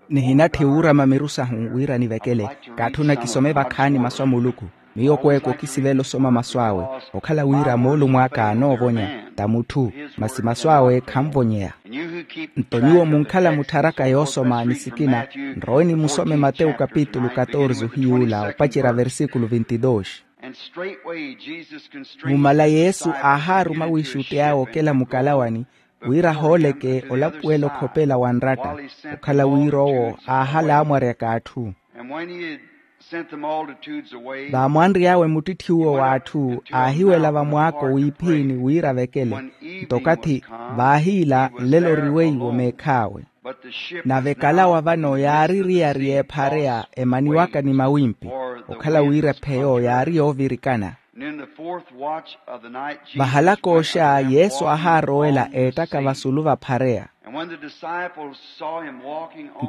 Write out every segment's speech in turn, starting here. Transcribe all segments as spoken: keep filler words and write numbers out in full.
Nihinatthi wuurama miru sahu wira nivekele. Kaatthuna kisome vakhaani masu a muluku. Miyo kweeko kisivela osoma masu awe. Okhala wira moolumo aka anoovonya, ta mutthu, masi masu awe khanvonyeya. Nto nyuwo munkhala muttharaka yoosoma ni sikina, nrowe nimusome matewu kapitulu katorze ohiy'ula opacerya versikulu vinti dos. Mumala yesu aahaaruma wiixutti awe okela mukalawani, wira ahooleke olapuwela okhopela wa nratta, okhala wira owo aahala amwaryaka atthu. Vaamwanry'awe muttitthiwo w'atthu aahiwela vamwaako wiiphiini wira avekele. Nto okathi vaahiila, nlelo oriweiwo meekh'awe. Nave ekalawa vano yaari eriyari y'ephareya emaniwaka ni mawimpi, okhala wira epheyo yaari yoovirikana. Vahalaka oxa yesu aahaarowela eettaka vasulu vaphareya.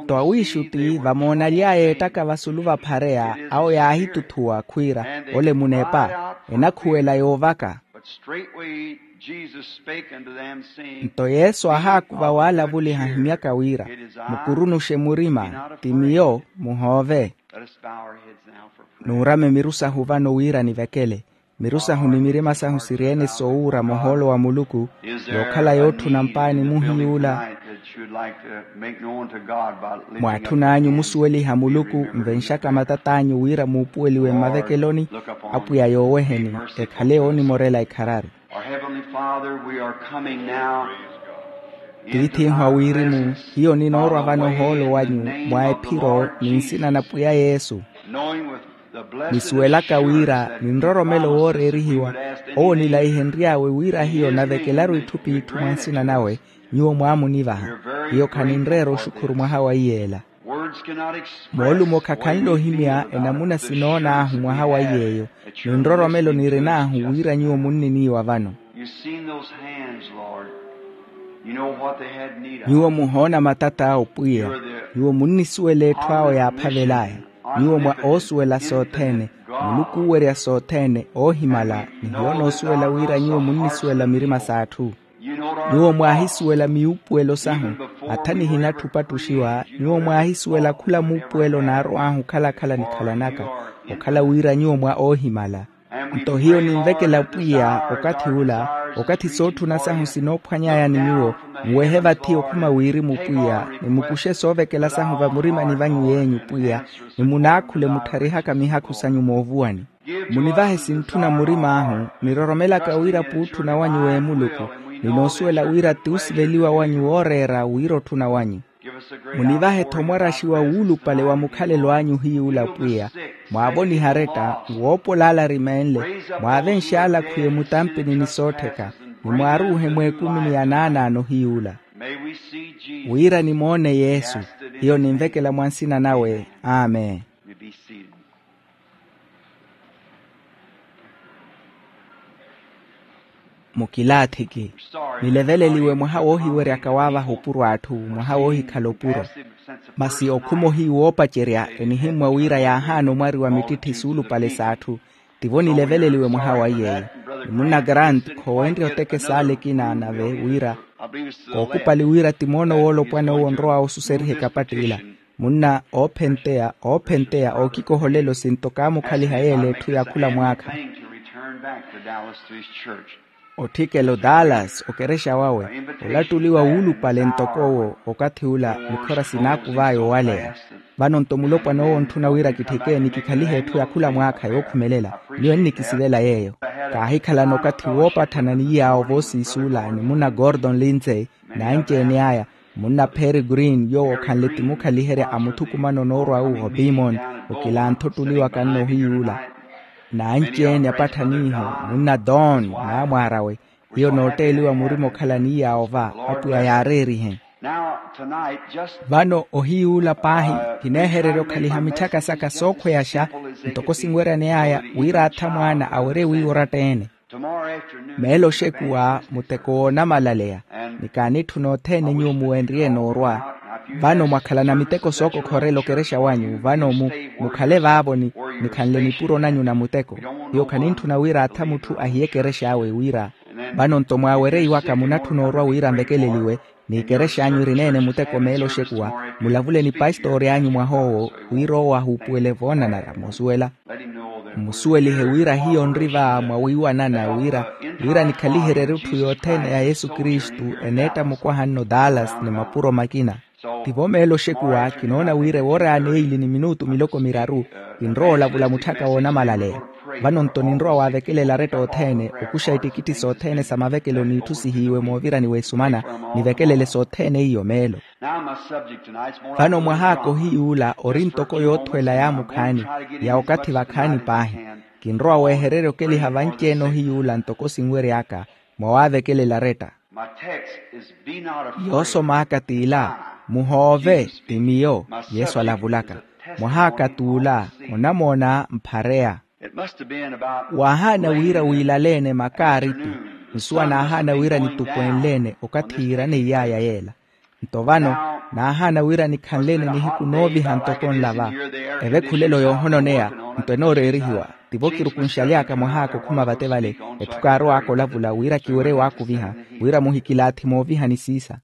Nto awiixutti vamoonaly'aya eettaka vasulu vaphareya awo yaahituthuwa khwiira, ole munepa enakhuwela yoovaka. Nto yesu aahaakuva waalavuliha ahimyaka wira, mukurunuxe murima, ti miyo, muhoove. Nuurame miru sahu vano wira nivekele. Miru sahu ni mirima sahu siri-ene soowuurama ohoolo wa muluku, yookhala yootthuna mpaani muhiy'ula. Mwaatthun'anyu musuweliha muluku nvenxaka matat'anyu wira muupuweliwe mmavekeloni. Apwiya yooweheni, ekhale yoonimorela ekharari. Tiith'ihu a wirimu, hiyo ninoorwa vano ohoolo wanyu mwa ephiro ni nsina na pwiya yesu, nisuwelaka wira ni nroromelo wooreerihiwa owo nilaihenry'awe wira hiyo navekelaru itthu p'itthu mwa nsina nawe. Nyuwo mwaamunivaha, hiyo khaninreera oxukhuru mwaha wa iyeela. Moolumo khakhanle ohimya enamuna sinoon'ahu mwaha wa iy'eyo, ni nroromelo nirin'ahu wira nyuwo munniniiwa vano. Nyuwo muhoona matata awo pwiya. Nyuwo munnisuwela etthu awo yaaphavel'aya. Nyuwo mwa oosuwela sothene, muluku oowerya sothene oohimala. Ni hiyo onoosuwela wira nyuwo munnisuwela mirima s'atthu. Nyuwo mwaahisuwela miwuupuwelo sahu, atha nihinatthi opattuxiwa. Nyuwo mwaahisuwela khula muupuwelo naarow'ahu okhala-khala nikhalanaka, okhala wira nyuwo mwa oohimala. Nto hiyo ninvekela pwiya okathi ula, okathi sootthuna sahu sinoophwany'aya ni nyuwo, muwehe vathi okhuma wirimu pwiya, ni mukuxe soovekela sahu vamurimani vanyu yeenyu pwiya, ni munaakhule muttharihaka mihakhu sanyu moovuwani. Munivahe sintthuna murim'ahu, niroromelaka wira puutthuna wanyu w'emuluku, ninoosuwela wira ti osiveliwa wanyu wooreera wira otthuna wanyu. Munivahe-tho mwaraxiwa wuulupale wa mukhalelo anyu hiy'ula pwiya, mwaavonihe aretta, nwoopola ala arimeenle, mwaavenxe ala akhwiye mutampini ni soottheka, ni mwaaruuhe mw'ekumi ni anaanaano hiy'ula. Wira nimoone yesu. Hiyo ninvekela mwa nsina nawe. Amen. Mukilaathiki, nileveleliwe mwaha woohiweryaka waavaha opuro atthu, mwaha woohikhala opuro. Masi okhuma ohiyu woopacerya enihimmwa wira yaahaana omwariwa mittitthi suulupale s'atthu. Tivo nileveleliwe mwaha wa iyeeyo. Ni munna grant khoowenrye otekesa ale ekina nave wira, kookupali wira ti moono woolopwana owo onrow'awe osuseriha ekapatti ila. Munna oophenteya oophenteya ookikoha olelo sinto kaamukhaliha yeela etthu ya khula mwaakha. Otthikela o dallas okerexa wawe, olattuliwa wuulupale ntoko owo. Okathi ula mikhora sinaakuv'aya owaleya. Vano nto mulopwana owo ontthuna wira kitthike ni kikhalihe etthu ya khula mwaakha yookhumelela. Miyo ennikisivela yeeyo. Kaahikhalana okathi woopatthana ni iyaawo voosiisuula ni munna gordon lindsay, n'anci-ene aya, munna perry green yoowo okhanle ti mukhaliherya a muthukumano noorwa-wu o beemon, okilantha ottuliwaka nno ohiy'ula. N'anci-ene apatthaniihu, munna don, n'amwaar'awe. Hiyo nootteeliwa murima okhala ni iyaawo va, apwiya yaareerihe. Vano ohiy'ula paahi, kineehererya okhaliha mitthaka saka sookhweyaxa, ntoko sinweryaney'aya wira atha mwaana awerye wiiwa oratta-ene. Meelo oxekuwa muteko woonamalaleya, ni kaanitthuna othene nyuwo muwenrye noorwa. Vano mwakhalana miteko sookokhorela okerexa wanyu vano mu mukhale vaavo ni nikhanle nipuro nanyu na muteko. Hiyo khanintthuna wira atha mutthu ahiye ekerex'awe wira Vano-nto mwaawereiwaka munatthuna orwa wira nvekeleliwe, n'ikerexa anyu eri neene muteko meelo oxekuwa, mulavule ni pastori anyu mwah'owo, wira owo ahuupuwele voonanara moosuwela. Mmusuwelihe wira hiyo nri va mwawiiwanana wira, wira nikhaliherye erutthu yothene ya yesu kristu, eneetta mukwaha nno dallas ni mapuro makina. Tivo meelo oxekuwa kinoona wira ewoora ya neili ni minutu miloko miraru, kinrowa olavula mutthaka woonamalaleya. Vano-nto ninrowa waavekelela aretta othene okuxa ittikitthi sothene sa mavekelo n'itthu sihiiwe moovirani w'esumana, nivekelele sothene iyo meelo. Vano mwahaaka ohiy'ula ori ntoko yoothwela yaamukhaani, ya okathi vakhaani paahi. Kinrowa weehererya okeliha vanci-ene ohiy'ula ntoko sinwery'aka, mwawaavekelela aretta. Yoosom'aka t'ila, muhoove, ti miyo. Yesu alavulaka. Mwahaaka t'ula, onamoona mphareya. Waahaana wira wiilale-ene makaaripi, nsuwa naahaana wira nitukweenle-ene okathi yiiraneiy'aya yeela. Nto vano, naahaana wira nikhanle-ene nihiku nooviha ntoko nlava. Evekhulelo yoohononeya, nto enooreerihiwa. Tivo kirukunxaly'aka mwahaaka okhuma vate vale, etthu kaarow'aka olavula wira kiwerye waakuviha, wira muhikilaathi moovihani siisa.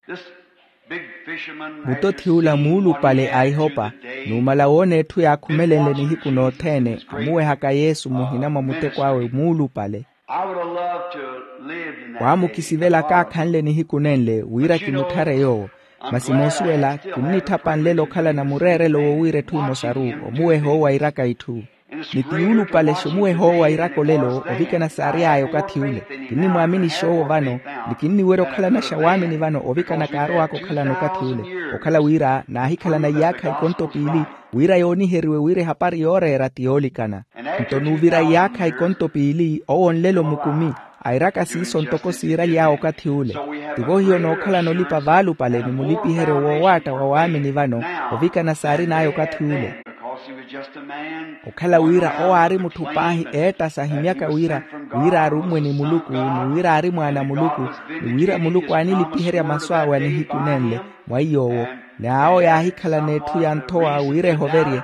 Mutotthiy'ula muulupale a ihopa, numala woona etthu yaakhumelenle nihiku nothene, amuwehaka yesu muhina mwa muteko awe muulupale. Waamukisivela kaakhanle nihiku nenle wira kimutthareye owo. Masi moosuwela kinnitthapa nlelo okhalana mureerelo wowiira etthu emosaru, omuweha owo airaka itthu. Ni ti yuulupale xumuweha owo airaka olelo ovikana saary'aya okathi ule. Kinnimwaaminixa owo vano, ni kinniwerya okhalanaxa waamini vano ovikana kaarowaka okhalana okathi ule. Okhala wira naahikhalana iyaakha ikonto piili, wira yooniheriwe wira ehapari yooreera ti yoolikana. Nto nuuvira iyaakha ikonto piili owo nlelo mukumi, airaka siiso ntoko siiraly'awe okathi ule. Tivo hiyo nookhalana olipa vaalupale ni mulipiheryo woowaatta wa waamini vano, ovikana saarin'aya okathi ule. Okhala wira owo aari mutthu paahi eetta sahimyaka wira, wira arummwe ni muluku ni wira aari mwaana a muluku, ni wira muluku aanilipiherya masu awe a nihiku nenle, mwa iy'owo. Ni awo yaahikhalana etthu ya nthowa wira ehoverye.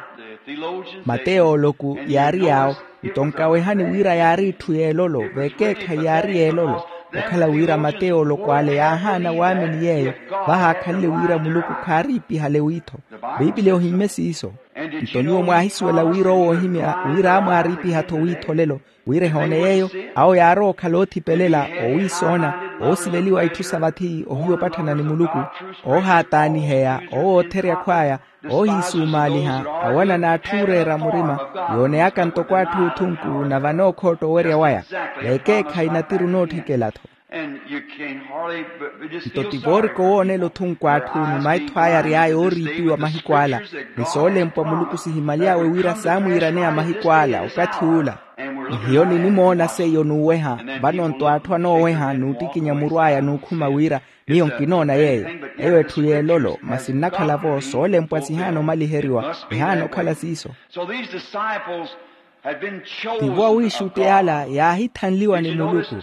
Mateyooloku yaari yaawo. Nto nkawehani wira yaari itthu y'elolo, v'ekeekhayi yaari y'elolo. Okhala wira mateyooloku ale yaahaana waamini yeeyo, vahaakhanle wira muluku khaariipihale wiitho. Piipili ohimmye siiso. Nto nyuwo mwaahisuwela wira owo oohimya wira amwaariipiha-tho wiitho olelo, wira ehoone yeeyo. Awo yaarowa okhala oothipelela, oowiisoona, oosiveliwa itthu sa vathi ohiya opatthana ni muluku, oohaataaniheya, owootherya akhw'aya, oohiisumaaliha, awanana atthu ooreera murima, yooneyaka ntoko atthu othunku na vanookhootta owerya waya. Veekeekhayi natiru nootthikela-tho. Nto ti voorika owoonela othunku atthu ni maitho aya ary'aya ooriipiwa mahiku ala, ni soolempwa muluku sihimaly'awe wira saamwiiraneya mahiku ala okathi ula. Ni hiyo ninimoona seiyo n'uweha. Vano-nto atthu anooweha n'uttikinya muru aya n'ukhuma wira miyo nkinoona yeeyo. Eyo etthu y'elolo masi nnakhala-vo soolempwa sihaana omaliheriwa, ehaana okhala siiso. Tivo awiixutti ala yaahithanliwa ni muluku.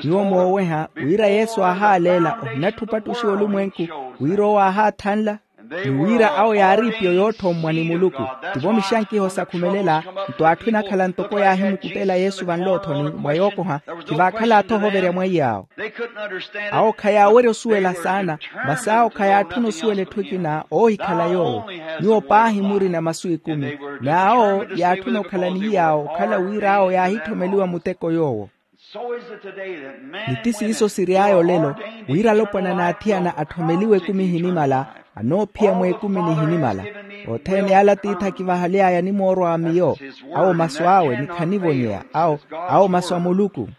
Nyuwo mooweha wira yesu aahaaleela ohinatthi opattuxiwa olumwenku, wira owo aahaathanla, ni wira awo yaari ipiyo yootthommwa ni muluku. Tivo mixankiho sakhumelela. Nto atthu enakhala ntoko yaahimukuttela yesu vanloothoni mwa yookoha, khivaakhala-tho ohoverya mweiy'awo. Awo khayaawerya osuwela saana, masi awo khayaatthuna osuwela etthu ekina oohikhala yoowo. Nyuwo paahi murina masu ekumi. N'awo yaatthuna okhala ni hiy'awo okhala wira awo yaahitthomeliwa muteko yoowo. Ni ti siiso siry'aya olelo, wira alopwana n'athiyana atthomeliwe ekumi ehinimala, anoophiya mw'ekumi nihinimala. Othene ala tiithi akivahaly'aya animoorwa wa miyo. Awo masu awe ni khanivonyeya. Awo awo masu a muluku.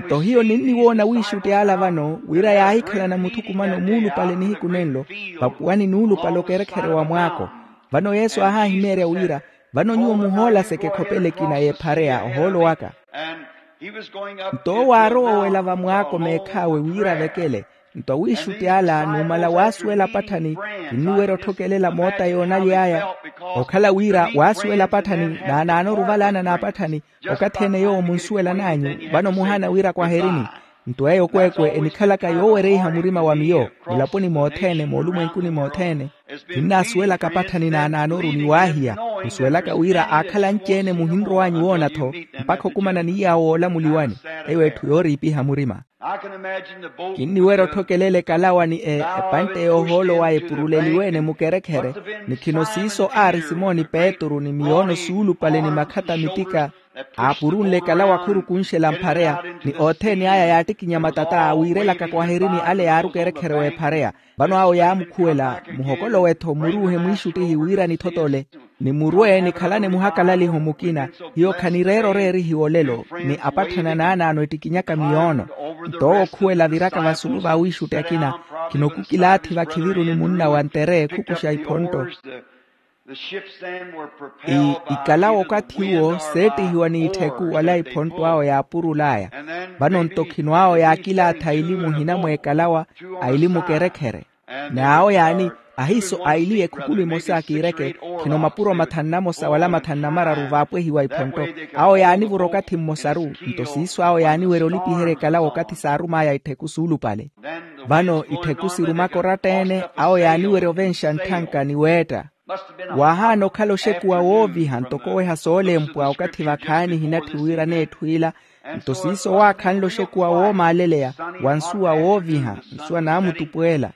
Nto hiyo ninniwoona wiixutti ala vano wira yaahikhalana muthukumano muulupale nihiku nenlo, vapuwani n'ulupale okerekherya wa mwaako. Vano yesu aahahimeerya wira, vano nyuwo muhoolaseke ekhopela ekina y'ephareya ohoolo waka. Nto owo aarowa owela vamwaako meekhaawe wira avekele. Nto awiixutti ala numala waasuwela apatthani, kinniwerya otthokelela moota yoonaly'aya. Okhala wira waasuwela apatthani naanaano oruvalaana n'apatthani. Okathi ene yoowo munsuwelan'anyu, vano muhaana wira kwaherini. Nto eyo kweekwe enikhalaka yoowereiha murima wa miyo mulaponi mothene moolumwenkuni mothene. Kinnaasuwelaka apatthani naanaanoru ni waahiya. Musuwelaka wira aakhala anci-ene muhinrow'anyu woona-tho, mpakha okumana ni iy'awo woolamuliwani. Eyo etthu yooriipiha murima. Kinniwerya otthokeleela ekalawa ni epantte yoohoolo waya epuruleliwe-ene mukerekhere. Ni khino siiso aari simoni petru ni miyoono suulupale ni makhata mitika, aapurunle ekalawa khurukunxela mphareya. Ni othene aya yaattikinya matata wiirelaka kwahirini ale yaari okerekhere w'ephareya. Vano awo yaamukhuwela, muhokolowe-tho muruuhe mwiixuttihi wira nithotole, ni murwe nikhalane muhakalaliho mukina. Hiyo khanireera oreerihiwa olelo, ni apatthana naanaano ettikinyaka miyoono. Nto owo okhuwela aviraka vasulu v'awiixutti akina. Khino khukilaathi vakhiviruni munna wa ntere khukuxa iphontto. Ikalawa okathi uwo seettihiwa n'itthiku wala iphontto awo yaapurul'aya. Vano nto khino awo yaakilaatha aili muhina mw'ekalawa, aili mukerekhere. N'awo yaani, ahiiso aili ekhukulu emosa kiireke. Khino mapuro mathanu namosa wala mathanu namararu vaapwehiwa iphontto. Awo yaanivura okathi mmosaru. Nto siiso awo yaaniwerya olipiherya ekalawa okathi saarum'aya itthiku suulupale. Vano itthiku sirumaka oratta-ene, awo yaaniwerya ovenxa ntthanka ni weetta. Waahaana okhala oxekuwa wooviha ntoko oweha soolempwa okathi vakhaani ehinatthi wira n'etthu ila. Nto siiso waakhanle oxekuwa woomaaleleya, wa nsuwa wooviha, nsuwa naamutupweela.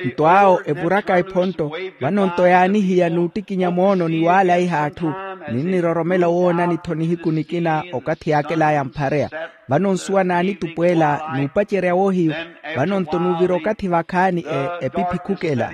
Nto awo evuraka ephontto. Vano nto yaanihiya n'uttikinya moono ni waalaiha atthu, ninniroromela owoonani-tho nihiku nikina okathi yaakel'aya mphareya. Vano nsuwa naanitupweela n'upacerya woohiyu. Vano nto n'uvira okathi vakhaani epiphi khukela.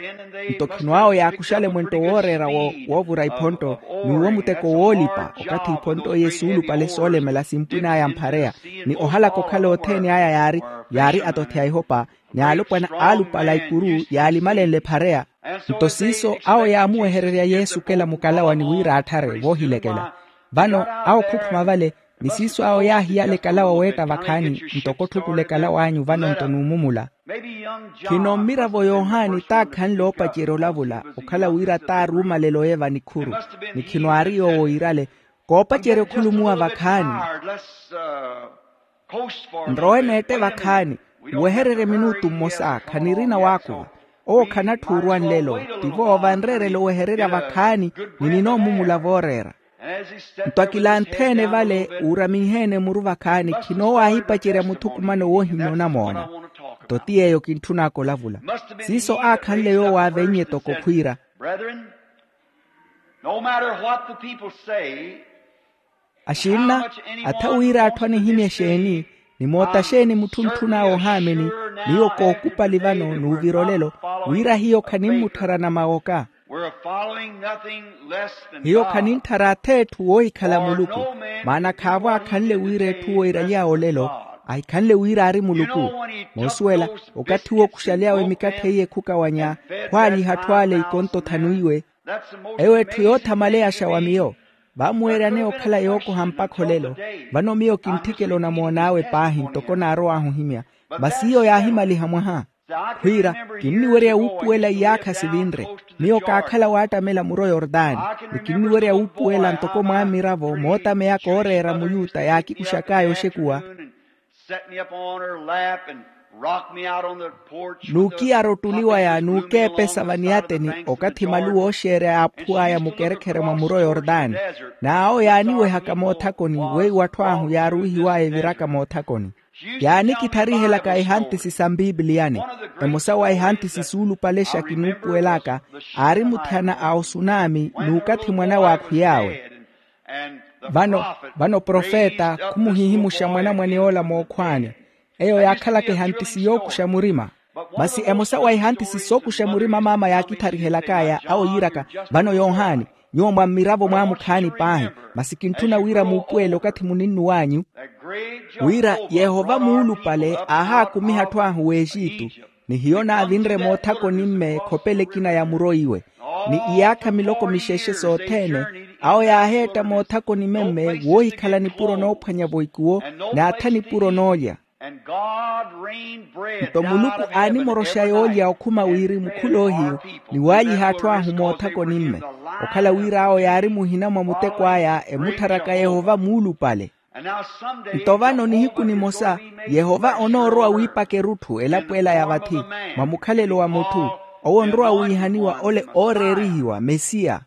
Nto khino awo yaakuxale mwentto wooreera woovura iphontto, n'uwo muteko woolipa okathi iphontto iye suulupale soolemela simpwin'aya mphareya. Ni ohalaka okhala othene aya yaari, yaari atothi a ihopa, ni alopwana aalupale a ikuru yaalimalenle ephareya. Nto siiso awo yaamuwehererya yesu okela mukalawani wira attharwe voohilekela. Vano awo khukhuma vale, ni siiso awo yaahiyala ekalawa weetta vakhaani. Ntoko otthukula ekalaw'anyu vano nto n'umumula. Khino mmiravo yohani taakhanle oopacerya olavula okhala wira taaruumalelo eva nikhuru. Ni khino aari yoowo iirale, koopacerya okhulumuwa vakhaani. Nrowe neette vakhaani, muwehererye minutu mmosa khanirina waakuva. Owo khanatthi orwa nlelo. Tivo vanreerela owehererya vakhaani, ni ninoomumula vooreera. Nto akilanthe-ene vale uuraminhe-ene muru vakhaani khino owo aahipacerya muthukumano woohimya onamoona. Nto ti yeeyo kintthun'aka olavula. Siiso aakhanle yoowo aavennye toko khwiira. Axinna, atha wira atthu anihimya exeeni, ni moota xeeni mutthu ntthun'awe ohaamini, miyo kookupali vano n'uvira olelo, wira hiyo khanimmutthara namawoka. Hiyo khanintthara ath'etthu woohikhala muluku. Maana khaavo aakhanle wira etthu wooiraly'awe olelo, ahikhanle wira aari muluku. Moosuwela, okathi wookuxaly'awe mikatthe iye khukawanya, khwaalyiha atthu ale ikonto thanu iwe. Eyo etthu yoothamaleyaxa wa miyo. Vaamuweeryaneya okhala yookoha mpakha olelo. Vano miyo kintthikela onamoon'awe paahi ntoko naarow'ahu ohimya. Masi iyo yaahimaliha mwaha. Khwiira, kinniwerya wuupuwela iyaakha sivinre. Miyo kaakhala waattamela muro yortani. Ni kinniwerya wuupuwela ntoko mwammiravo mootameyaka ooreera muyuta yaakikuxak'aya oxekuwa. Nuukiyara ottuli waya nuukeepesa vaniyateni okathi maluwa ooxeerya yaaphuw'aya mukerekhere mwa muro yortani. N'awo yaaniwehaka moothakoni weiwo atthu ahu yaaruwihiw'aya eviraka moothakoni. Yaanikittharihelaka ehantisi sa mpipiliyani. Emosa wa ehantisi suulupalexa kinuupuwel'aka, aari muthiyana a osunami n'ukathi mwan'awe aakhwiy'awe. Vano, vano profeta khumuhihimuxa mwanamwane yoola mookhw'ani. Eyo yaakhalaka ehantisi yookuxa murima. Masi emosa wa ehantisi sookuxa murima maama yaakitharihelak'aya awo yiiraka, vano yohani, nyuwo mwa mmiravo mwaamukhaani paahi. Masi kintthuna wira muupuwele okathi muninnuw'anyu, wira yehova muulupale aahaakumiha atthu ahu w'exitu. Ni hiyo naavinre moothakoni-mme khopela ekina ya muro iwe. Ni iyaakha miloko mixexe sothene, awo yaaheetta moothakoni-mme woohikhala nipuro noophwanya-vo ikuwo, n'atha nipuro noolya. Nto muluku aanimoroxa yoolya okhuma wirimu khuloohiyu, ni waayiha atthu ahu moothakoni-mme. Okhala wira awo yaari muhina mwa muteko aya emuttharaka yehova muulupale. Nto vano nihiku nimosa, yehova onoorowa wiipaka erutthu elapo ela ya vathi, mwa mukhalelo wa mutthu. Owo onrowa wiihaniwa ole ooreerihiwa mesiya.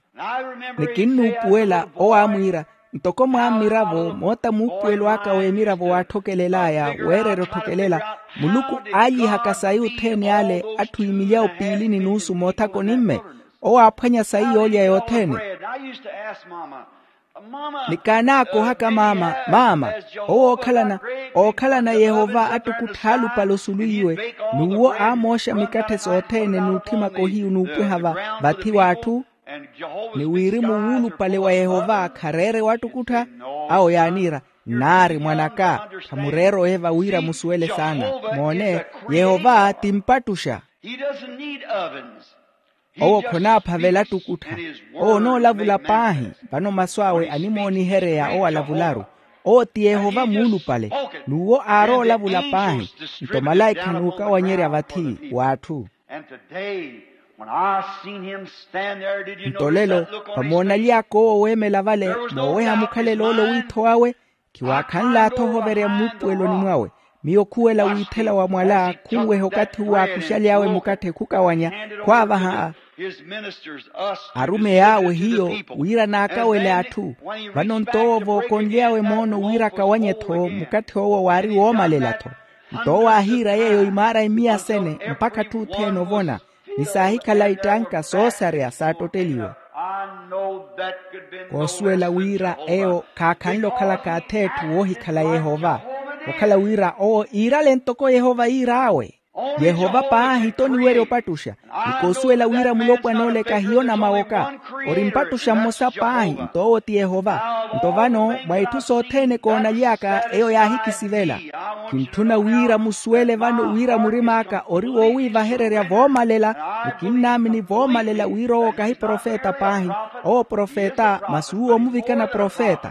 Ni kinnuupuwela owo aamwiira, Ntoko mwaammiravo moota muupuwelo aka w'emiravo waatthokelel'aya, weererya otthokelela muluku, aalyihaka sayi othene ale atthu imilyawo piili ni nuusu moothakoni-mme. Owo aaphwanya sayi yoolya yothene. Ni kaanaakohaka maama, maama, owo ookhalana ookhalana yehova attukuttha alupale osulu iwe, n'uwo aamooxa mikatthe sothene n'utthimaka ohiyu n'upwiha vathi w'atthu. Ni wirimu wuulupale wa yehova khareere wattukuttha. Awo yaaniira, nnaari mwan'aka, khamureere oyeva wira musuwele saana. Moone, yehova ti mpattuxa. Owo khonaaphavela attukuttha. Owo onoolavula paahi. Vano masu awe animoonihereya owo alavularu. Owo ti yehova muulupale, n'uwo aaroolavula paahi. Nto malaikha n'ukawanyerya vathi w'atthu. Nto lelo, vamoonaly'aka owo weemela vale, mooweha mukhalelo ole owiitho wawe, khiwaakhanl'atho ohoverya mmuupuweloni mwawe. Miyo khuwela wiithela wa mwala khunweha okathi uwo aakuxaly'awe mukatthe khukawanya, khwaavaha arumeyi awe hiyo wira naakawele atthu. Vano nto owo vookonly'awe moono wira akawanye-tho mukatthe owo waari woomalela-tho. Nto owo aahiira yeeyo imaara imiya sene mpakha atthu othene ovona, ni saahikhala ittanka soosareya saattotteliwe. Koosuwela wira eyo khaakhanle okhalaka ath'etthu woohikhala yehova, okhala wira owo iirale ntoko yehova yiir'awe. Yehova paahi toniwerya opattuxa. Ni koosuwela wira mulopwan'ole kahiyo namawoka, ori mpattuxa mmosa paahi, nto owo ti yehova. Nto vano mwa itthu sothene koonaly'aka eyo yaahikisivela. Kintthuna wira musuwele vano wira murim'aka ori woowiivahererya voomalela, ni kinnaamini voomalela wira owo kahi profeta paahi. Owo profeta masi uwo omuvikana profeta.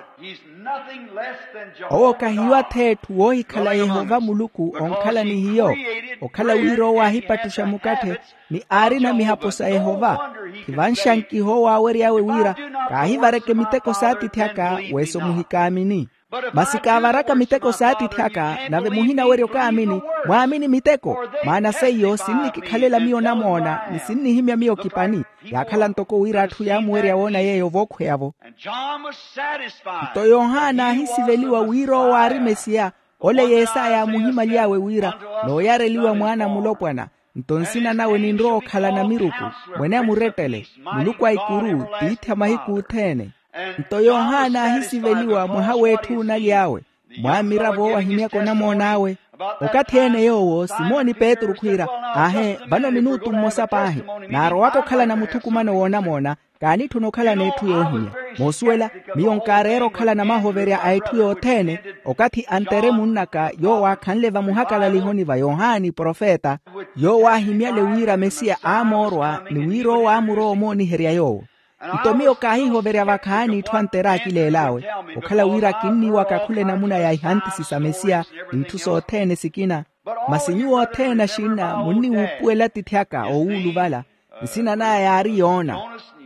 Owo kahiyo ath'etthu woohikhala yehova muluku onkhala ni hiyo. Okhala wira owo aahipattuxa mukatthe, ni aarina mihapo sa yehova. Khivanxankiha owo aawery'awe wira, kaahivareke miteko s'atiithi aka, weso muhikaamini. Masi kaavaraka miteko s'atiithi aka nave muhinawerya okaamini, mwaamini miteko. Maana seiyo sinnikikhalela miyo namoona ni sinnihimya miyo kipani. Yaakhala ntoko wira atthu yaamuwerya woona yeeyo vookhweya-vo. Nto yohana aahisiveliwa wira owo aari mesiya. Ole yesaya aamuhimaly'awe wira, nooyareliwa mwaana a mulopwana. Nto nsina nawe ninrowa okhala namiruku, mwene a murettele, muluku a ikuru, tiithi a mahiku othene. Nto yohana aahisiveliwa mwaha w'etthu oonaly'awe. Mwaamiravo owo ahimyaka onamoon'awe. Okathi-ene yoowo simoni petru khwiira, aahe vano minutu mmosa paahi, naarowaka okhalana muthukumano w'onamoona. Kaanitthuna okhalana etthu yoohimya. Moosuwela, miyo nkaareera okhalana mahoverya a etthu yothene. Okathi antere munn'aka yoowo aakhanle vamuhakalalihoni va yohani profeta, yoowo aahimyale wira mesiya aamoorwa ni wira owo aamurowa omooniherya yoowo. Nto miyo kaahihoverya vakhaani itthu antere aakileel'awe, okhala wira kinniiwaka khula enamuna ya ihantisi sa mesiya, n'itthu sothene sikina. Masi nyuwo othene axinna munniwuupuwela atiithi aka oowuluvala. Nsina n'aya yaari yoona.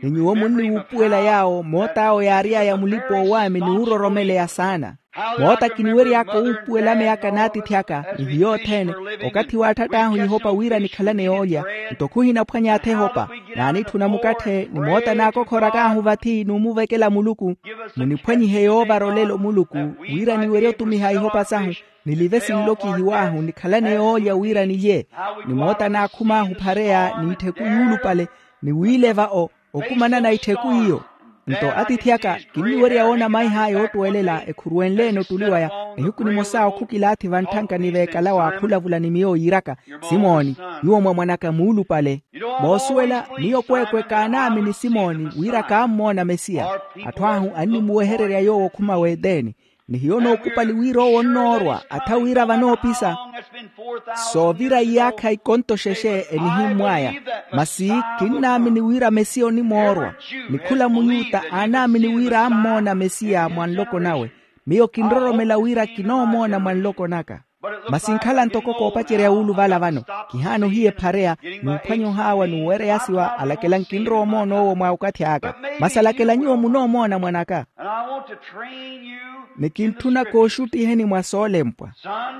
Ni nyuwo munniwuupuwela yaawo moot'awo yaary'aya mulipa-oowaami ni wuuroromeleya saana. Moota kiniwery'aka owuupuwela ameyaka n'atiithi aka ni hiyo othene. Okathi waatthatt'ahu ihopa wira nikhalane yoolya, nto khuhinaphwany'atho ehopa. Naanitthuna mukatthe ni moota naakokhorak'ahu vathi n'umuvekela muluku. Muniphwanyihe yoovara olelo muluku, wira niwerye otumiha ihopa sahu, nilive sinlokihiw'ahu nikhalane yoolya wira nilye. Ni moota naakhum'ahu phareya n'itthiku yuulupale, ni wiileva o okumanana itthiku iyo. Nto atiithi aka kinniwerya woona maih'aya oottuwelela ekhuruwenle-ene ottuli waya. Nihiku nimosa okhukilaathi vantthanka ni veekalawa akhulavula ni miyo yiiraka, simoni, nyuwo mwa mwan'aka muulupale. Moosuwela miyo kweekwe kaanaamini simoni wira kaammoona mesiya. Atthu ahu annimuwehererya yoowo okhuma w'eteni. Ni hiyo nookupali wira owo onnoorwa atha wira vanoopisa. Soovira iyaakha ikonto xexe enihimmw'aya. Masi kinnaamini wira mesiya onimoorwa. Ni khula muyuta aanaamini wira ammoona mesiya mwa nloko nawe. Miyo kinroromela wira kinoomoona mwa nloko naka. Masi nkhala ntoko koopacerya wuuluvala vano. Kihaana ohiya ephareya, n'uphwanya ohaawa n'uwereyasiwa alakela nkinrowa omoona owo mwa okathi aka. Masi alakela nyuwo munoomoona mwan'aka. Ni kintthuna kooxuttiheni mwa soolempwa.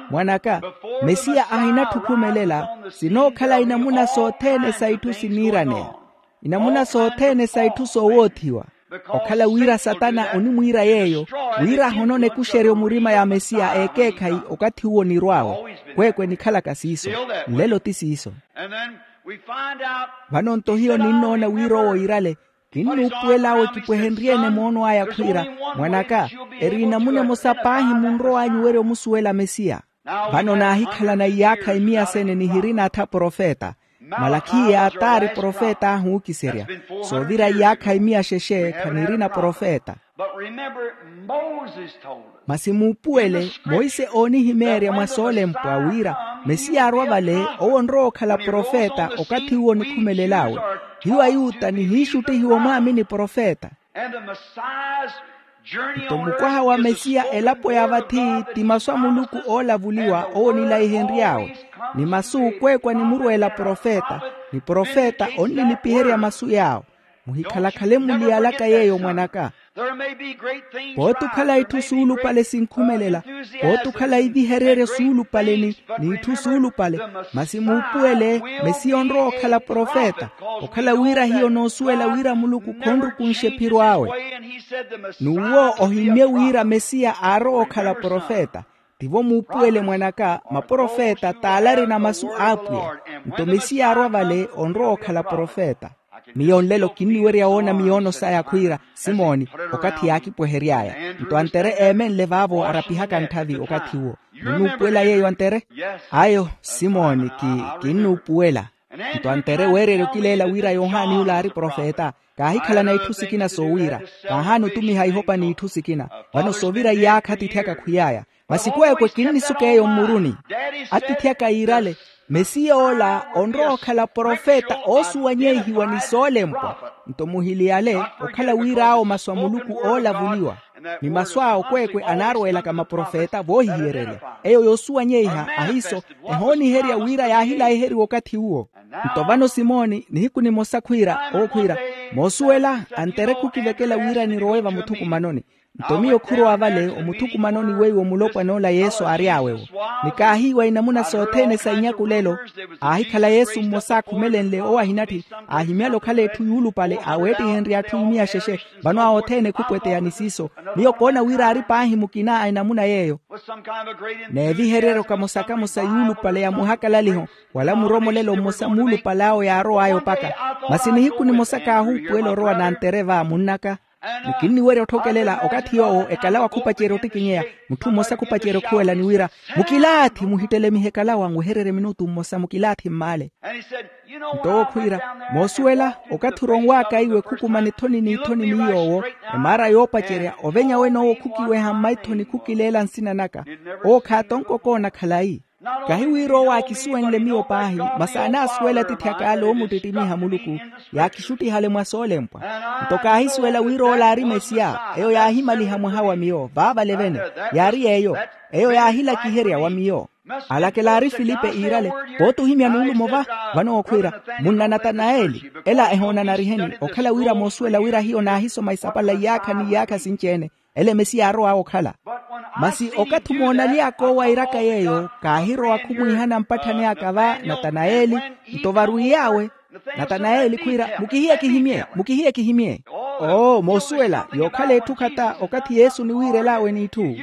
Mwan'aka, mesiya ahinatthukumelela. Sinookhala inamuna sothene sa itthu siniiraneya, inamuna sothene sa itthu soowoothiwa. Okhala wira satana onimwiira yeeyo, wira ahonone ekuxeryo murima ya mesiya ekeekhayi. Okathi uwo nirw'awe, kweekwe nikhalaka siiso. Nlelo ti siiso. Vano nto hiyo ninnoona wira owo iirale. Kinnuupuwel'awe kipwehenrye-ene moono aya khwiira, mwan'aka, eri enamuna emosa paahi munrow'anyu werya omusuwela mesiya. Vano naahikhalana iyaakha imiya sene nihirina atha profeta. Malakhiya taari profeta ahuukiserya. Soovira iyaakha imiya xexe khanirina profeta. Masi muupuwele, monse oonihimeerya mwa soolempwa wira mesiya arwa vale, owo onrowa okhala profeta okathi uwo onikhumelel'awe. Hiyo ayuta nihiixuttihiwa omwaamini profeta. Nto mukwaha wa mesiya elapo ya vathi ti masu a muluku oolavuliwa owo onilaihenry'awe. Ni masu kweekwe animurweela profeta, ni profeta onnilipiherya masu yaawo. Muhikhalakhale muliyalaka yeeyo mwan'aka. Pooti okhala itthu suulupale sinkhumelela, pooti okhala ivihereryo suulupale ni n'itthu suulupale, masi muupuwele mesiya onrowa okhala profeta. Okhala wira hiyo noosuwela wira muluku khonrukunxe ephiro awe. N'uwo ohimmye wira mesiya aarowa okhala profeta. Tivo muupuwele mwan'aka, maprofeta t'ale arina masu a apwiya. Nto mesiya arwa vale onrowa okhala profeta. Miyo nlelo kinniwerya woona miyoono saya khwiira simoni, okathi yaakipwehery'aya. Nto antere eemenle vaavo arapihaka ntthavi okathi uwo. Munnuupuwela yeeyo antere? Ayo simoni, kinnuupuwela. Nto antere weererya okileela wira yohani yula aari profeta. Kaahikhalana itthu sikina soowiira, kaahaana otumiha ihopa n'itthu sikina. Vano soovira iyaakha atiithi aka khwiy'aya. Masi kweekwe kinnisuka eyo mmuruni. Atiithi aka yiirale, mesiya ola onrowa okhala profeta oosuwanyeihiwa ni soolempwa. Nto muhiliyale okhala wir'awo masu a muluku oolavuliwa, ni masu awo kweekwe anaarweelaka maprofeta voohihiyererya. Eyo yoosuwanyeiha ahiiso, ehooniherya wira yaahilahiheriwa okathi uwo. Nto vano simoni nihiku nimosa khwiira owo khwiira, moosuwela, antere khukivekela wira nirowe vamuthukumanoni. Nto miyo khurowa vale omuthukumanoni weiwo mulopwana ola yesu aary'awe-wo. Ni kaahiiwa inamuna sothene sa inyakulelo. Aahikhala yesu mmosa akhumelenle owo ahinatthi, aahimyale okhala etthu yuulupale aweettihenrye atthu imiya xexe. Vano awo othene khupweteya ni siiso. Miyo koona wira aari paahi mukina a enamuna yeeyo, n'evihereryo kamosa-kamosa yuulupale ya muhakalaliho, wala muromolelo mmosa muulupale awo yaarow'aya opaka. Masi nihiku nimosa kaahuupuwela orowa nantere va munn'aka. Ni kinniwerya otthokelela okathi yoowo ekalawa khupacerya ottikinyeya, mutthu mmosa khupacerya okhuwela ni wira, mukilaathi muhittelemihe ekalawa nwehererye minutu mmosa mukilaathi mmaale. Nto owo khwiira, moosuwela, okathi oronw'aka iwe khukumana ethoni n'ithoni ni yoowo, emaara yoopacerya ovenya wen'owo khukiweha mmaithoni khukileela nsina naka. Owo khaatonkokoona khalayi. Kahi wira owo aakisuwenle miyo paahi, masi anaasuwela atiithi ak'ale oomuttittimiha muluku, yaakixuttihale mwa soolempwa. Nto kaahisuwela wira ola aari mesiya. Eyo yaahimaliha mwaha wa miyo vaavale vene. Yaari yeeyo. Eyo yaahilakiherya wa miyo. Alakela aari filipe iirale, pooti ohimya nuulumo va? Vano owo khwiira, munna natanayeli. Ela ehoona nariheni okhala wira moosuwela wira hiyo naahisoma isapala iyaakha n'iyaakha sinci-ene. Ele mesiya aarow'awe okhala. Masi okathi omoona aly'aka owo airaka yeeyo, kaahirowa khumwiihana mpatthani aka va natanayeli. Nto varwiy'awe natanayeli khwiira, mukihiye kihimye, mukihiye kihimye. Oo moosuwela yookhala etthu khata okathi yesu oniwiirel'awe n'itthu.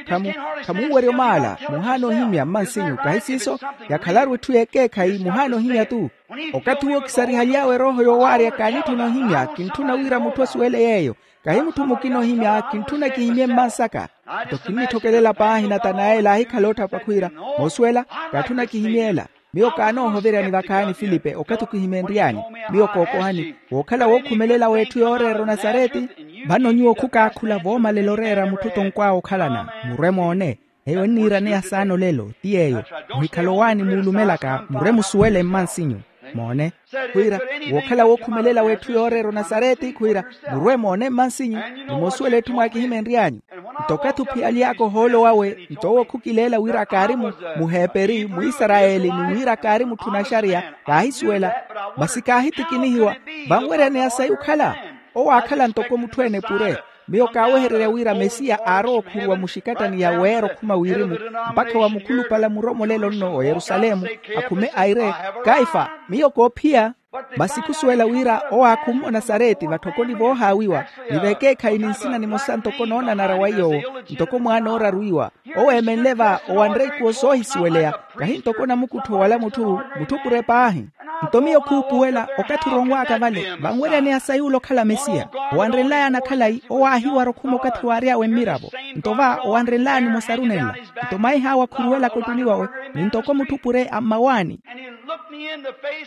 Khamuuwerya omaala muhaana ohimya mmansinyu kahi siiso? Yakhalaru etthu y'ekeekhayi muhaana ohimya-tu. Okathi uwo kisarihaly'awe erooho yoowaarya kaanitthuna ohimya kintthuna wira mutthu osuwele yeeyo. Kahi mutthu mukina ohimya kintthuna kihimye mmansaka. Nto kinnitthokelela paahi natanayeli aahikhala otthapa khwiira, moosuwela, kaatthuna kihimye ela. Miyo kaanoohoveryani vakhaani filipe okathi okihimenry'anyu. Miyo kookohani wookhala wookhumelela w'etthu yooreera onasareti. Vano nyuwo khukaakhula voomalela oreera mutthu tonkw'awe okhalana. Murwe moone. Eyo enniiraneya saana olelo ti yeeyo. Muhikhale owaani muulumelaka murwe musuwele mmansinyu. Moone. Khwiira, wookhala wookhumelela w'etthu yooreera onasareti khwiira, murwe moone mmansinyu. Ni moosuwela etthu mwaakihimenry'anyu. Nto okathi ophiyaly'aka ohoolo wawe nto owo khukileela wira kaari muheperi mwisarayeli ni wira kaari mutthu naxariya. Kaahisuwela. Masi kaahitikinihiwa. Vanweryaneya sayi okhala. Owo aakhala ntoko mutthu-ene pure. Miyo kaawehererya wira mesiya aarowa okhuruwa muxikattani ya weera okhuma wirimu, mpakha wa mukhulupale a muromolelo nno o yerusalemu, akhume aire, kaifa, miyo koophiya. Masi khusuwela wira owo aakhumme onasareti vatthokoni voohaawiwa, ni vekeekhayi ni nsina nimosa ntoko noonanara wa iy'owo, ntoko mwaana ooraru iwa. Owo eemenle va owanre ikuwo soohisuweleya, kahi ntoko namukuttho wala mutthu, mutthupure paahi. Nto miyo khuupuwela okathi oronwaaka vale vanweryaneya sayuula okhala mesiya. Owanrenlayana khalayi owo aahiwara okhuma okathi waary'awe mmiravo. Nto va owanrenlayani mosarunenla, nto maih'awe akhuruwelaka ottuli wawe, ni ntoko mutthupure a mmawaani.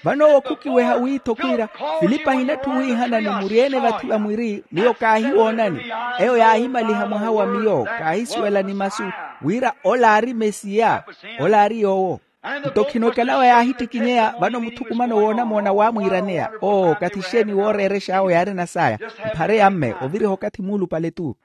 Vano owo khukiweha wiitho khwiira, filipi ahinatthu wiihana ni muri-ene vathi va mwiri miyo kaahiwoonani. Eyo yaahimaliha mwaha wa miyo, kaahisuwela ni masu wira ola aari mesiya. Ola aari yoowo. Nto khino ekalawa yaahittikinyeya vano muthukumano woonamoona waamwiiraneya, oo kathi xeeni wooreerex'awe yaarina saaya. Mphare ya mme oviriha okathi muulupale-tu.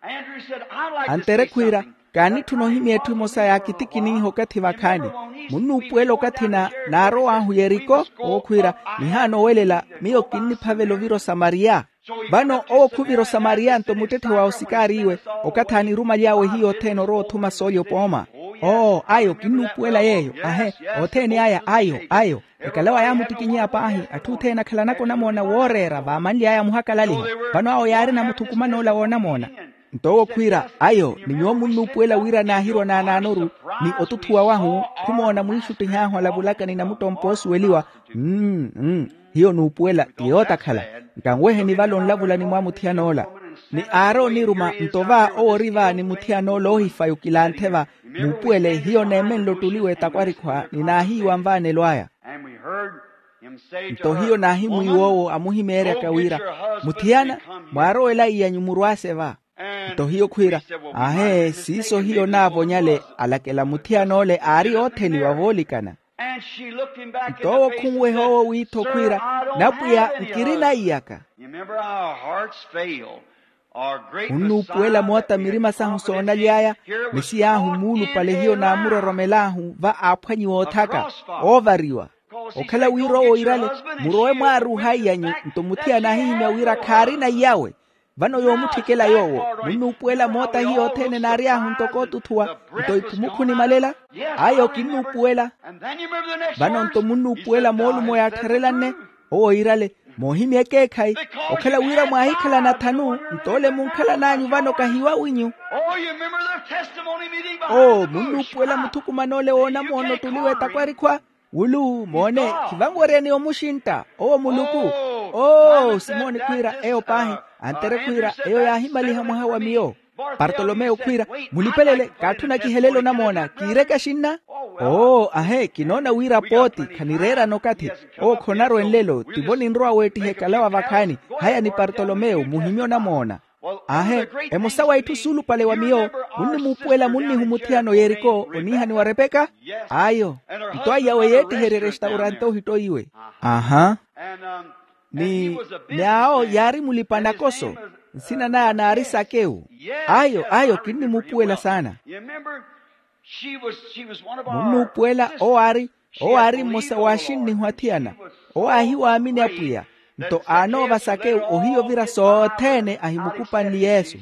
Antere khwiira, kaanitthuna ohimya etthu emosa yaakitikininha okathi vakhaani. Munnuupuwela okathi na naarow'ahu yeriko owo khwiira, nihaana owelela, miyo kinniphavela ovira osamariya. Vano owo khuvira osamariya nto muttetthe wa osikaariiwe, okathi aanirumaly'awe hiyo othene orowa othuma soolya opooma. Oo ayo kinnuupuwela yeeyo. Ahe, othene aya ayo ayo. Ekalawa yaamuttikinyeya paahi, atthu othene akhalanaka onamoona wooreera vaamanly'aya amuhakalaliha. Vano awo yaarina muthukuman'ola woonamoona. Nto owo khwiira, ayo ni nyuwo munnuupuwela wira naahirwa naanaanoru, ni otuthuwa wahu, khumoona mwiixuttih'ahu alavulaka ni namuttompa oosuweliwa. Mmm mmm. Hiyo nuupuwela ti yootakhala. Nkanweheni vale onlavula ni mwamuthiyana ola. Ni aari oniruma nto va owo ori va ni muthiyana ola oohifayi okilanthe va. Muupuwele hiyo neemenle ottuli w'etakwarikhu ni naahiiwa nvaanelo aya. Nto hiyo naahimwiiwa owo amuhimeeryaka wira, muthiyana, mwaarowela iy'anyu murwaase va. Nto hiyo khwiira, ahe siiso hiyo naavonyale. Alakela muthiyana ole aari ootheliwa voolikana. Nto owo khunweha owo wiitho khwiira, napwiya nkirina iyaka. Munnuupuwela moota mirima sahu soonaly'aya. Misiya ahu muulupale hiyo naamuroromel'ahu va aaphwanyiwa othaka, oovariwa. Okhala wira owo oirale, murowe mwaaruuha iy'anyu. Nto muthiyana aahihimya wira khaarina iyawe. Vano yoomutthikela yoowo, munnuupuwela moota hiyo othene naary'ahu ntoko otuthuwa. Nto iphumu khunimalela. Ayo kinnuupuwela. Vano nto munnuupuwela moolumo yaattharelanne. Owo oirale, moohimya ekeekhayi. Okhala wira mwaahikhalana thanu, nto ole munkhalan'anyu vano kahiwawinyu. Oo munnuupuwela muthukuman'ole woonamoona ottuli w'etakwarikhu a wulu moone, khivanweryaneya omuxintta owo muluku. Oo simoni khwiira eyo paahi. Antere khwiira eyo yaahimaliha mwaha wa miyo. Partolomeyo khwiira, mulipelele kaatthuna kihelele onamoona kiireke axinna. Oo ahe kinoona wira pooti khanireerana okathi. Owo khonarwe nlelo tivo ninrowa weettiha ekalawa vakhaani. Haya ni partolomeyo muhimye onamoona. Ahe, emosa wa itthu suulupale wa miyo, munnimuupuwela munnihu muthiyana oyeriko oniihaniwa repeka. Ayo. Nto aiyawe yeettiherye restaurante ohittoiwe. Aha. Ni ni awo yaari mulipa nakoso. Nsina naya naari sakewu. Ayo ayo kinnimuupuwela saana. Munnuupuwela owo aari owo aari mmosa w'axinnihu athiyana. Owo aahiwaamini apwiya. Nto aanoova sakewu ohiya ovira sothene ahimukupanle yesu.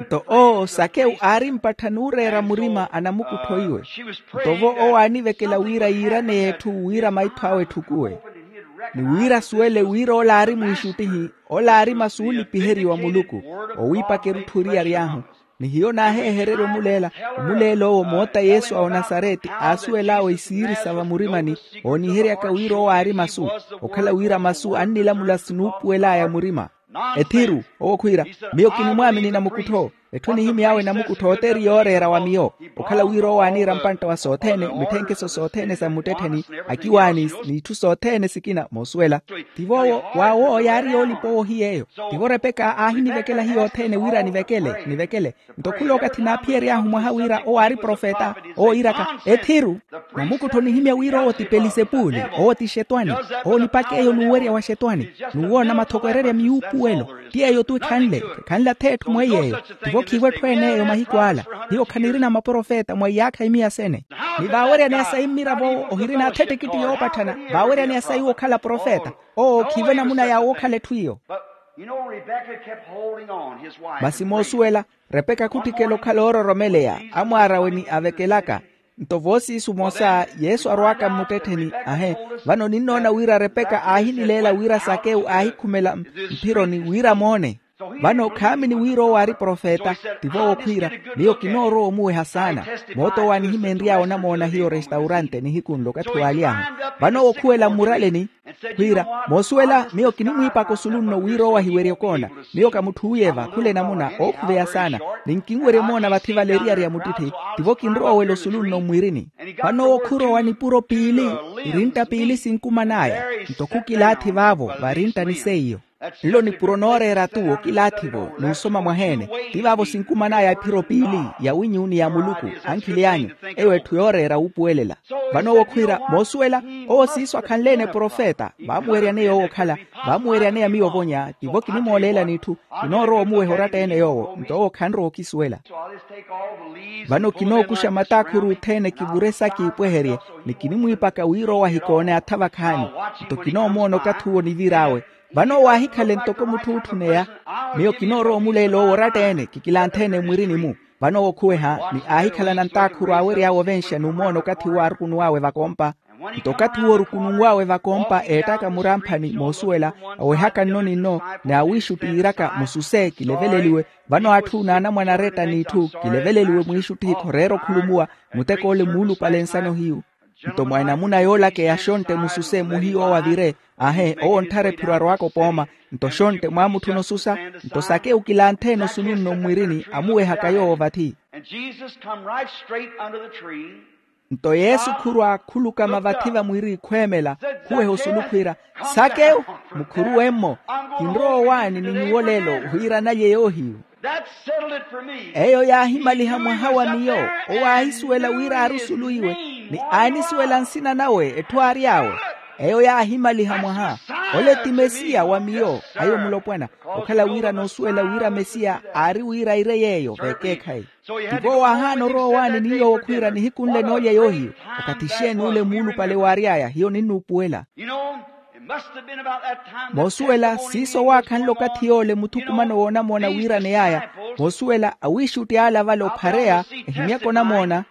Nto owo sakewu aari mpattha n'ureera murima anamukuttho iwe. Nto vo owo aanivekela wira yiiraneye etthu wira maitho awe etthukuwe. Ni wira asuwele wira ola aari mwiixuttihi. Ola aari masu oolipiheriwa muluku. Owiipaka erutthu eri yary'ahu. Ni hiyo naaheehererya omuleela. Omuleela owo moota yesu a onasareti aasuwel'awe isiiri sa vamurimani. Ooniheryaka wira owo aari masu. Okhala wira masu annilamula sinuupuwel'aya murima. Ethiru owo khwiira, miyo kinimwaamini namukuttho. Etthu enihimy'awe namukuttho ote eri yooreera wa miyo. Okhala wira owo aaniira mpantta wa sothene mitthenkeso sothene sa mmuttettheni, akiwaani, n'itthu sothene sikina moosuwela. Tivo owo waawo yaari yoolipa owo ohiy'eyo. Tivo repeka aahinivekela hiyo othene wira nivekele nivekele. Nto khula okathi naaphiyery'ahu mwaha wira owo aari profeta. Owo iiraka, ethiru. Namukuttho onihimya wira owo ti pelisepuli. Owo ti xetwani. Owo onipaka eyo n'uwerya wa xetwani. N'uwoona mathoko ererya miyuupuwelo. Ti eyo-tu ekhanle. Ekhanle ath'etthu mweiy'eyo. Tivo khiivo etthu en'eyo mahiku ala. Hiyo khanirina maprofeta mwa iyaakha imiya sene. Ni vaaweryaneya sayi mmiravo owo ohirina ath'ettikitthi yoopatthana. Vaaweryaneya sayi wokhala profeta. Owo khiivo enamuna ya wookhala etthu iyo. You know, Rebecca kept holding on, his wife. Masi moosuwela, repeka khutthikela okhala oororomeleya, amwaar'awe ni avekelaka. Nto voosiisu mosa yesu arwaaka mmuttettheni, ahe, vano ninnoona wira repeka aahinileela wira sakewu aahikhumela mphironi wira moone. Vano khaamini wira owo aari profeta. Tivo okhwiira, miyo kinoorowa omuweha saana. Moot'owo aanihimenry'awe onamoona hiyo restaurante nihiku nlo okathi waaly'ahu. Vano owo okhuwela mmuraleni, khwiira, moosuwela miyo kinimwiipaka osulu nno wira owo ahiwerye okoona. Miyo ka mutthu uye va khula enamuna ookhuveya saana. Ni nkinwerye omoona vathi vale eriyari ya muttitthi. Tivo kinrowa owela osulu nno mmwiirini. Vano owo khurowa nipuro piili, irintta piili sinkuman'aya. Nto khukilaathi vaavo varintta ni seiyo. Nlo nipuro nooreera-tu okilaathi-vo n'usoma mwaheene. Ti vaavo sinkuman'aya ephiro piili, ya winyu ni ya muluku, ankhili anyu. Eyo etthu yooreera wuupuwelela. Vano owo khwiira moosuwela, owo siiso akhanle-ene profeta. Vaamuweryaneya owo okhala, vaamuweryaneya miyo ovonya. Tivo kinimooleela n'itthu, kinoorowa omuweha oratta-ene yoowo nto owo khanrowa okisuwela. Vano kinookuxa mataakhuru othene kivure sa kiipweherye, ni kinimwiipaka wira owo ahikoone atha vakhaani. Nto kinoomoona okathi uwo nivir'awe. Vano owo aahikhale ntoko mutthu ootthuneya. Miyo kinoorowa omuleela owo oratta-ene kikilanthe-ene mmwirini-mu. Vano owo okhuweha ni aahikhalana ntaakhuru aawery'awe ovenxa n'umoona okathi uwo aarukunuw'awe vakompa. Nto okathi uwo orukununw'awe vakompa eettaka muramphani moosuwela, awehaka nno ni nno, ni awiixuttihiryaka mususe kileveleliwe. Vano atthu n'anamwane aretta n'itthu kileveleliwe mwiixuttihi khoreera okhulumuwa. Muteko ole muulupale nsano hiyu. Nto mwa enamuna yoolakeya xontte mususe muhiyu owo avire. Ahe, owo ontthara ephiro arowaka opooma. Nto xontte mwaamutthuna osusa. Nto sakewu kilanthe-ene osulu nno mmwirini amuwehaka yoowo vathi. And Jesus come right straight under the tree. Nto yesu khurwa khulukama vathi vamwiiri khweemela, khuweha osulu khwiira, sakewu, mukhuruwe-mmo. Kinrowa owaani ni nyuwo lelo wira nalye yoohiyu. That settled it for me. Eyo yaahimaliha mwaha wa miyo. Owo aahisuwela wira aari osulu iwe, ni aanisuwela nsina nawe etthu aary'awe. Eyo yaahimaliha mwaha. Ole ti mesiya wa miyo. Ayo mulopwana. Okhala wira noosuwela wira mesiya aari wira aire yeeyo vekeekhayi. Tivo waahaana orowa owaani ni yoowo khwiira nihiku nle noolya yoohiyo. Okathi xeeni ole muulupale waary'aya hiyo ninnuupuwela. Moosuwela siiso waakhanle okathi yoole muthukumano woonamoona wiiraney'aya. Moosuwela awiixutti ale avale ophareya, ehimyaka onamoona.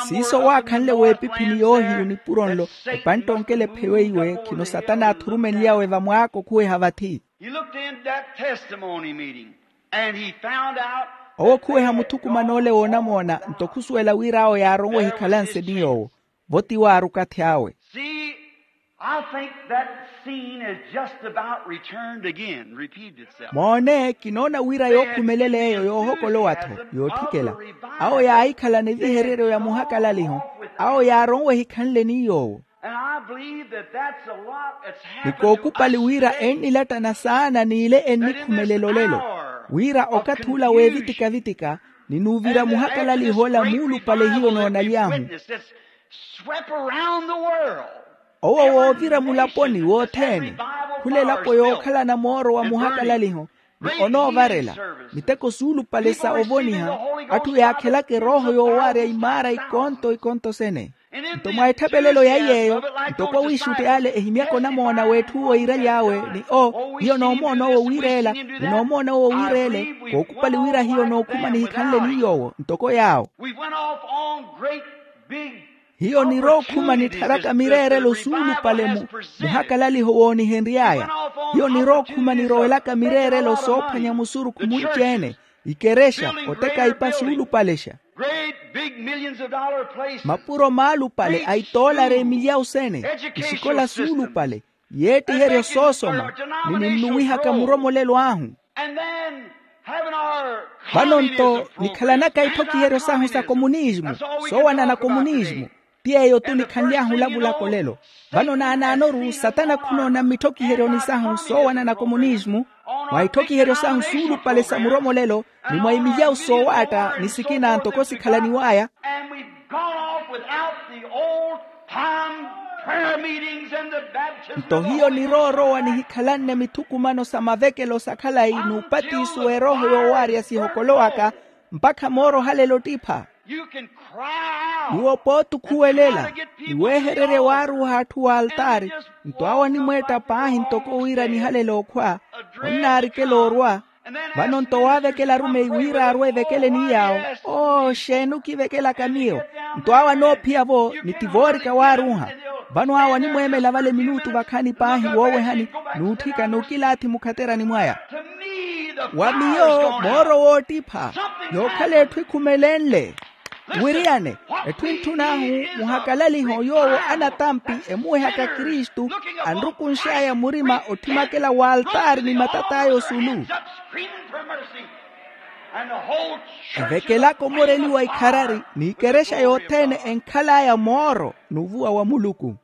Siiso waakhanle weepiphini yoohiyu nipuro nlo, epantta onkela epheyo eiwe khino satana aathurumenly'awe vamwaaka okhuweha vathi. He looked in that testimony meeting, and he found out. Owo khuweha muthukuman'ole woonamoona nto khusuwela wira awo yaaronwe ehikhalanse ni yoowo. Vo tiwo aari okathi awe. See, I think that scene is just about returned again, repeated itself. Moone kinoona wira yookhumelela eyo yoohokolowa-tho yootthikela. Awo yaahikhalana evihereryo ya muhakalaliho. Awo yaaronwe ehikhanle ni yoowo. Ni kookupali wira ennilattana saana n'ile ennikhumelela olelo, wira okathi ula weevitika-vitika, ni n'uvira muhakalaliho ola muulupale hiyo noonaly'ahu. Owo woovira mulaponi wothene, khula elapo yookhalana mooro wa muhakalaliho, ni onoovarela miteko suulupale sa ovoniha. Atthu yaakhelaka erooho yoowaarya imaara ikonto ikonto sene. Nto mwa etthapelelo ya iy'eyo, ntoko awiixutti ale ehimyaka onamoona w'etthu owo iiraly'awe ni o, hiyo noomoona owo wiireela ni noomoona owo wiireele. Kookupali wira hiyo nookhuma nihikhanle ni yoowo ntoko yaawo. Hiyo nirookhuma nittharaka mireerelo suulupale mu muhakalaliho woonihenry'aya. Hiyo nirookhuma nirowelaka mireerelo soophwanya musurukhu munci-ene, ikerexa, oteka ipa suulupalexa. Mapuro maalupale a itoolari emilyawu sene, isikola suulupale, yeettiheryo soosoma, ni ninnuwihaka muromolelo ahu. Vano-nto nikhalanaka itthokiheryo sahu sa komunismu, soowanana komunismu. Ti yeeyo-tu nikhanly'ahu olavulaka olelo. Vano naanaanoru satana khunoona mmitthokiheryoni sahu soowanana komunismu, mwa itthokiheryo sahu suulupale sa muromolelo, ni mwa imilyawu soowaatta ni sikina ntoko sikhalaniw'aya. Nto hiyo niroorowa nihikhalanne mithukumano sa mavekelo sa khalayi n'upatiso w'erooho yoowaarya sihokolowaka, mpakha mooro ohalela ottipha. Nyuwo pooti okhuwelela, niweehererye waaruuha atthu w'altaari. Nto awo animweetta paahi ntoko wira nihalele okhwa. Onnaarikela orwa. Vano nto waavekela arumeyi wira arwe evekeleni yaawo. Oo, xeeni okivekelaka miyo? Nto awo anoophiya-vo ni ti voorika waaruuha. Vano awo animweemela vale minutu vakhaani paahi woowehani, n'utthika n'ukilaathi mukhaterani mwaya. Wa miyo mooro woottipha, yookhala etthu ekhumelenle. Wiriyane, etthu entthun'ahu muhakalaliho yoowo anatampi emuwehaka kristu, anrukunx'aya murima otthimakela w'altaari ni matat'aya osulu. Evekelaka omoreliwa ikharari n'ikerexa yothene enkhal'aya mooro n'uvuwa wa muluku.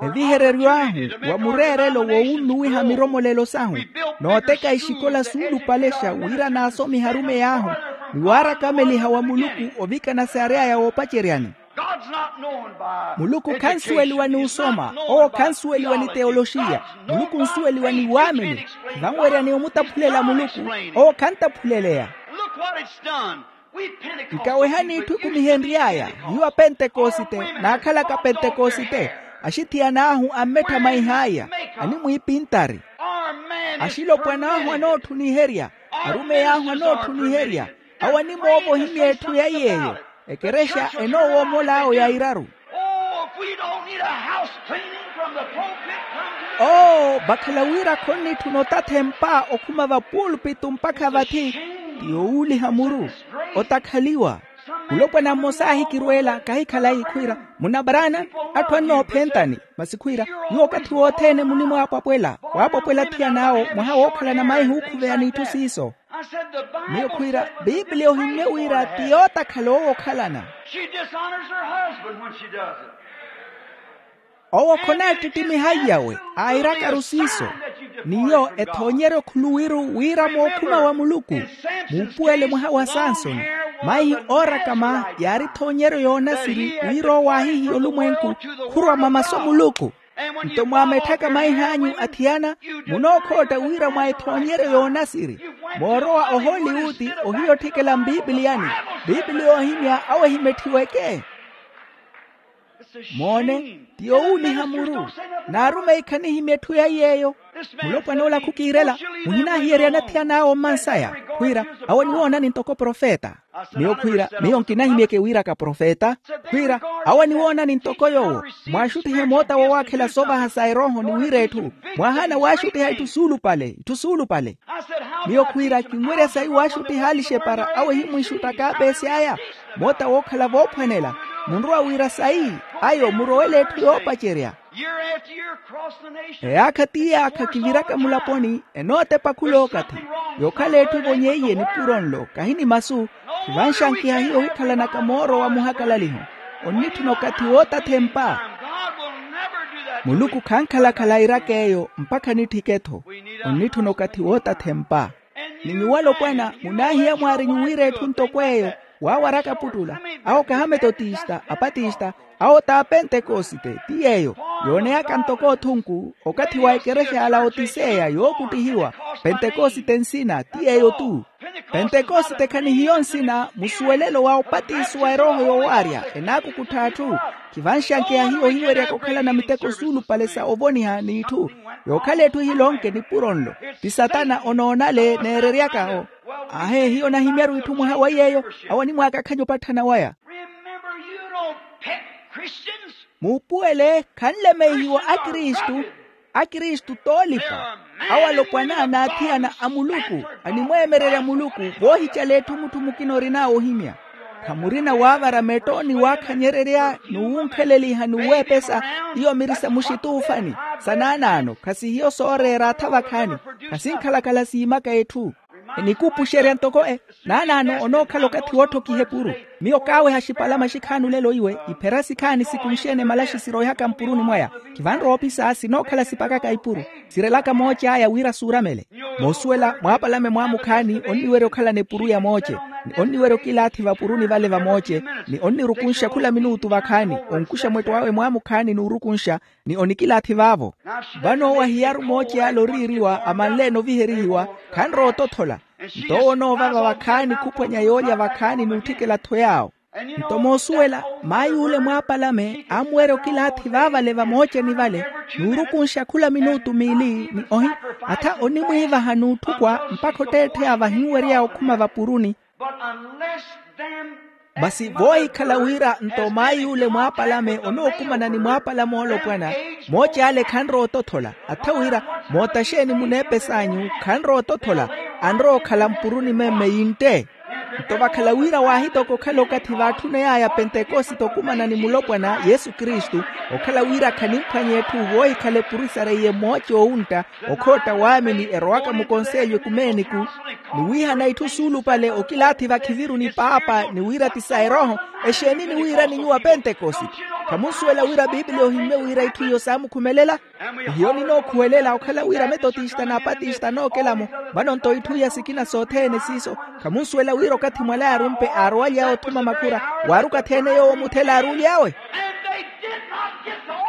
Evihereryo ahu wa mureerelo wowunnuwiha miromolelo sahu, nooteka ixikola suulupalexa wira naasomihe arumeyi ahu, ni waarakhameliha wa muluku ovikana saary'aya woopaceryani. Muluku khansuweliwa ni osoma, owo khansuweliwa ni teyoloxiya. Muluku onsuweliwa ni waamini. Vanweryani omutaphulela muluku, owo khantaphuleleya. Nkawehani itthu ekumihenry'aya. Hiyo apentekosite, naakhalaka pentekosite, axithiyan'ahu ammetthamwaih'aya, animwiipintari. Axilopwan'ahu anootthuniherya, arumeyi ahu anootthuniherya. Awo animoovohimya etthu yaiy'eyo. Ekerexa enoowomol'awo yairaru. Oo, vakhala wira khonnitthuna otathempa okhuma vapuulpitu mpakha vathi. Ti yowuuliha muru, otakhaliwa. Mulopwana mmosa aahikirweela, kahikhalayi khwiira, munabaraana, atthu annoophentani. Masi khwiira, nyuwo okathi wothene munimwaapwapwela, waapwapwela athiyan'awo mwaha wookhalana maihi ookhuveya n'itthu siiso. Miyo khwiira, pipiliya ohimmye wira ti yootakhala owo okhalana. Owo khonaattittimihaiyawe, airakaru siiso. Niyo ethoonyeryo khuluwiru wira mookhuma wa muluku. Muupuwele mwaha wa sansoni, maihi oorakama yaarithoonyeryo yoonasiri wira owo aahihiya olumwenku, khurwa mwa masu a muluku. Nto mwaametthaka maih'anyu athiyana, munookhootta wira mwa ethoonyeryo yoonasiri. Moorowa ohooliwuti ohiya otthikela mpipiliyani. Pipiliya oohimya awo ehimetthiweke. Moone, ti yowuuliha muru. N'arumeyi khanihimya etthu yaiy'eyo. Mulopwana ola khukiirela, muhinaahiyeryani athiyana awo mmansaya, khwiira, awo aniwoonani ntoko profeta. Miyo khwiira, miyo nkinahimyeke wiraka profeta. Khwiira, awo aniwoonani ntoko yoowo. Mwaaxuttihe moota wowaakhela soovaha sa erooho ni wira etthu. Mwaahaana waaxuttiha itthu suulupale, itthu suulupale. Miyo khwiira kinwerya sayi waaxuttiha alixepara awo ehimwiixutta kaapeesi aya. Moota wookhala voophwanela. Munrowa wira sayi, ayo murowele etthu yoopacerya. Eyaakha ti yaakha kiviraka mulaponi, enootepa khulookathi. Yookhala etthu evonyeiye nipuro nlo kahi ni masu. Khivanxankiha hiyo ohikhalanaka mooro wa muhakalaliho. Onnitthuna okathi wootathempa. Muluku khankhalakhala airaka eyo mpakha anitthike-tho. Onnitthuna okathi wootathempa. Ni nyuwo alopwana munaahiya mwaari nyuwo wira etthu ntoko eyo. Waawaraka aputtula, awo kaha ametotista, apatista, awo t'apentekosite ti yeeyo. Yooneyaka ntoko othunku okathi wa ekerexa ya laotiseya yookuttihiwa. Pentekosite nsina ti yeeyo-tu. Pentekosite khanihiyo nsina musuwelelo wa opatiso wa erooho yowaarya enaakukuttha atthu. Khivanxankeya hiyo ohiweryaka okhalana miteko suulupale sa ovoniha n'itthu. Yookhala etthu ehilonke nipuro nlo, ti satana onoonale neereryaka-o. Ahe hiyo nahimyaru itthu mwaha wa yeeyo. Awo animwaakakhanya opatthana waya. Remember, you don't pick Christians. Muupuwele khanlemeihiwa akristu. Akristu t'olipa. Awo alopwana n'athiyana a muluku, animweemererya muluku voohicala etthu mutthu mukina orin'awe ohimya. Khamurina waavara metto ni waakhanyererya n'uwunkheleliha n'uweepesa. Iyo mirisa muxituufani sa naanaano khasihiyo sooreera atha vakhaani. Khasinkhalakhala siimaka etthu. Enikuupuxerya ntoko e naanaano onookhala okathi wootthokiha epuru. Miyo kaaweha axipalama axikhaani olelo iwe iphera sikhaani sikunxe-ene malaxi siroihaka mpuruni mwaya. Khivanrowa opisa sinookhala sipakaka ipuru. Sirelaka mooce aya wira suuramele. Moosuwela mwaapalame mwaamukhaani onniwerya okhalana epuru ya mooce, ni onniwerya okilaathi vapuruni vale va mooce, ni onnirukunxa khula minuutu vakhaani, onkuxa mwetto awe mwaamukhaani n'urukunxa, ni onikilaathi vaavo. Vano owo ahiyaru mooce ale oriiriwa amanle-ene oviherihiwa. Khanrowa otothola. Nto owo onoovava vakhaani khuphwanya yoolya vakhaani n'utthikela-tho yaawo. Nto moosuwela, maay'ule mwaapalame aamuwerya okilaathi vaavale vamooceni vale, n'urukunxa khula minuutu miili ni ohi, atha onimwiivaha n'utthukwa mpakha otteettheya vahinwery'aya okhuma vapuruni. Masi voohikhala wira nto maay'ule mwaapalame onookumana ni mwaapalame oolopwana, mooci ale khanrowa otothola. Atha wira, moota xeeni muneepes'anyu khanrowa otothola, anrowa okhala mpuruni memme yintte. Nto vakhala wira waahitoka okhala okathi vaatthuney'aya pentekosite okumana ni mulopwana yesu kristu, okhala wira khanimphwanya etthu voohikhala epuri sareiye mooci oowuntta, okhootta waamini erowaka mukonselyo ekumeeniku, ni wiihana itthu suulupale okilaathi vakhiviru ni paapa ni wira ti sa erooho. Exeeni ni wiirani nyuwo apentekosite? Khamunsuwela wira piipili ohimmye wira itthu iyo saamukhumelela? Hiyo ninookhuwelela okhala wira metotista n'apatista anookela-mo. Vano nto itthu iya sikina sothene siiso. Khamunsuwela wira okathi mwala yaarumpe aarowaly'awe othuma makhura, waari okathi-ene yoowo muthela aaruuly'awe.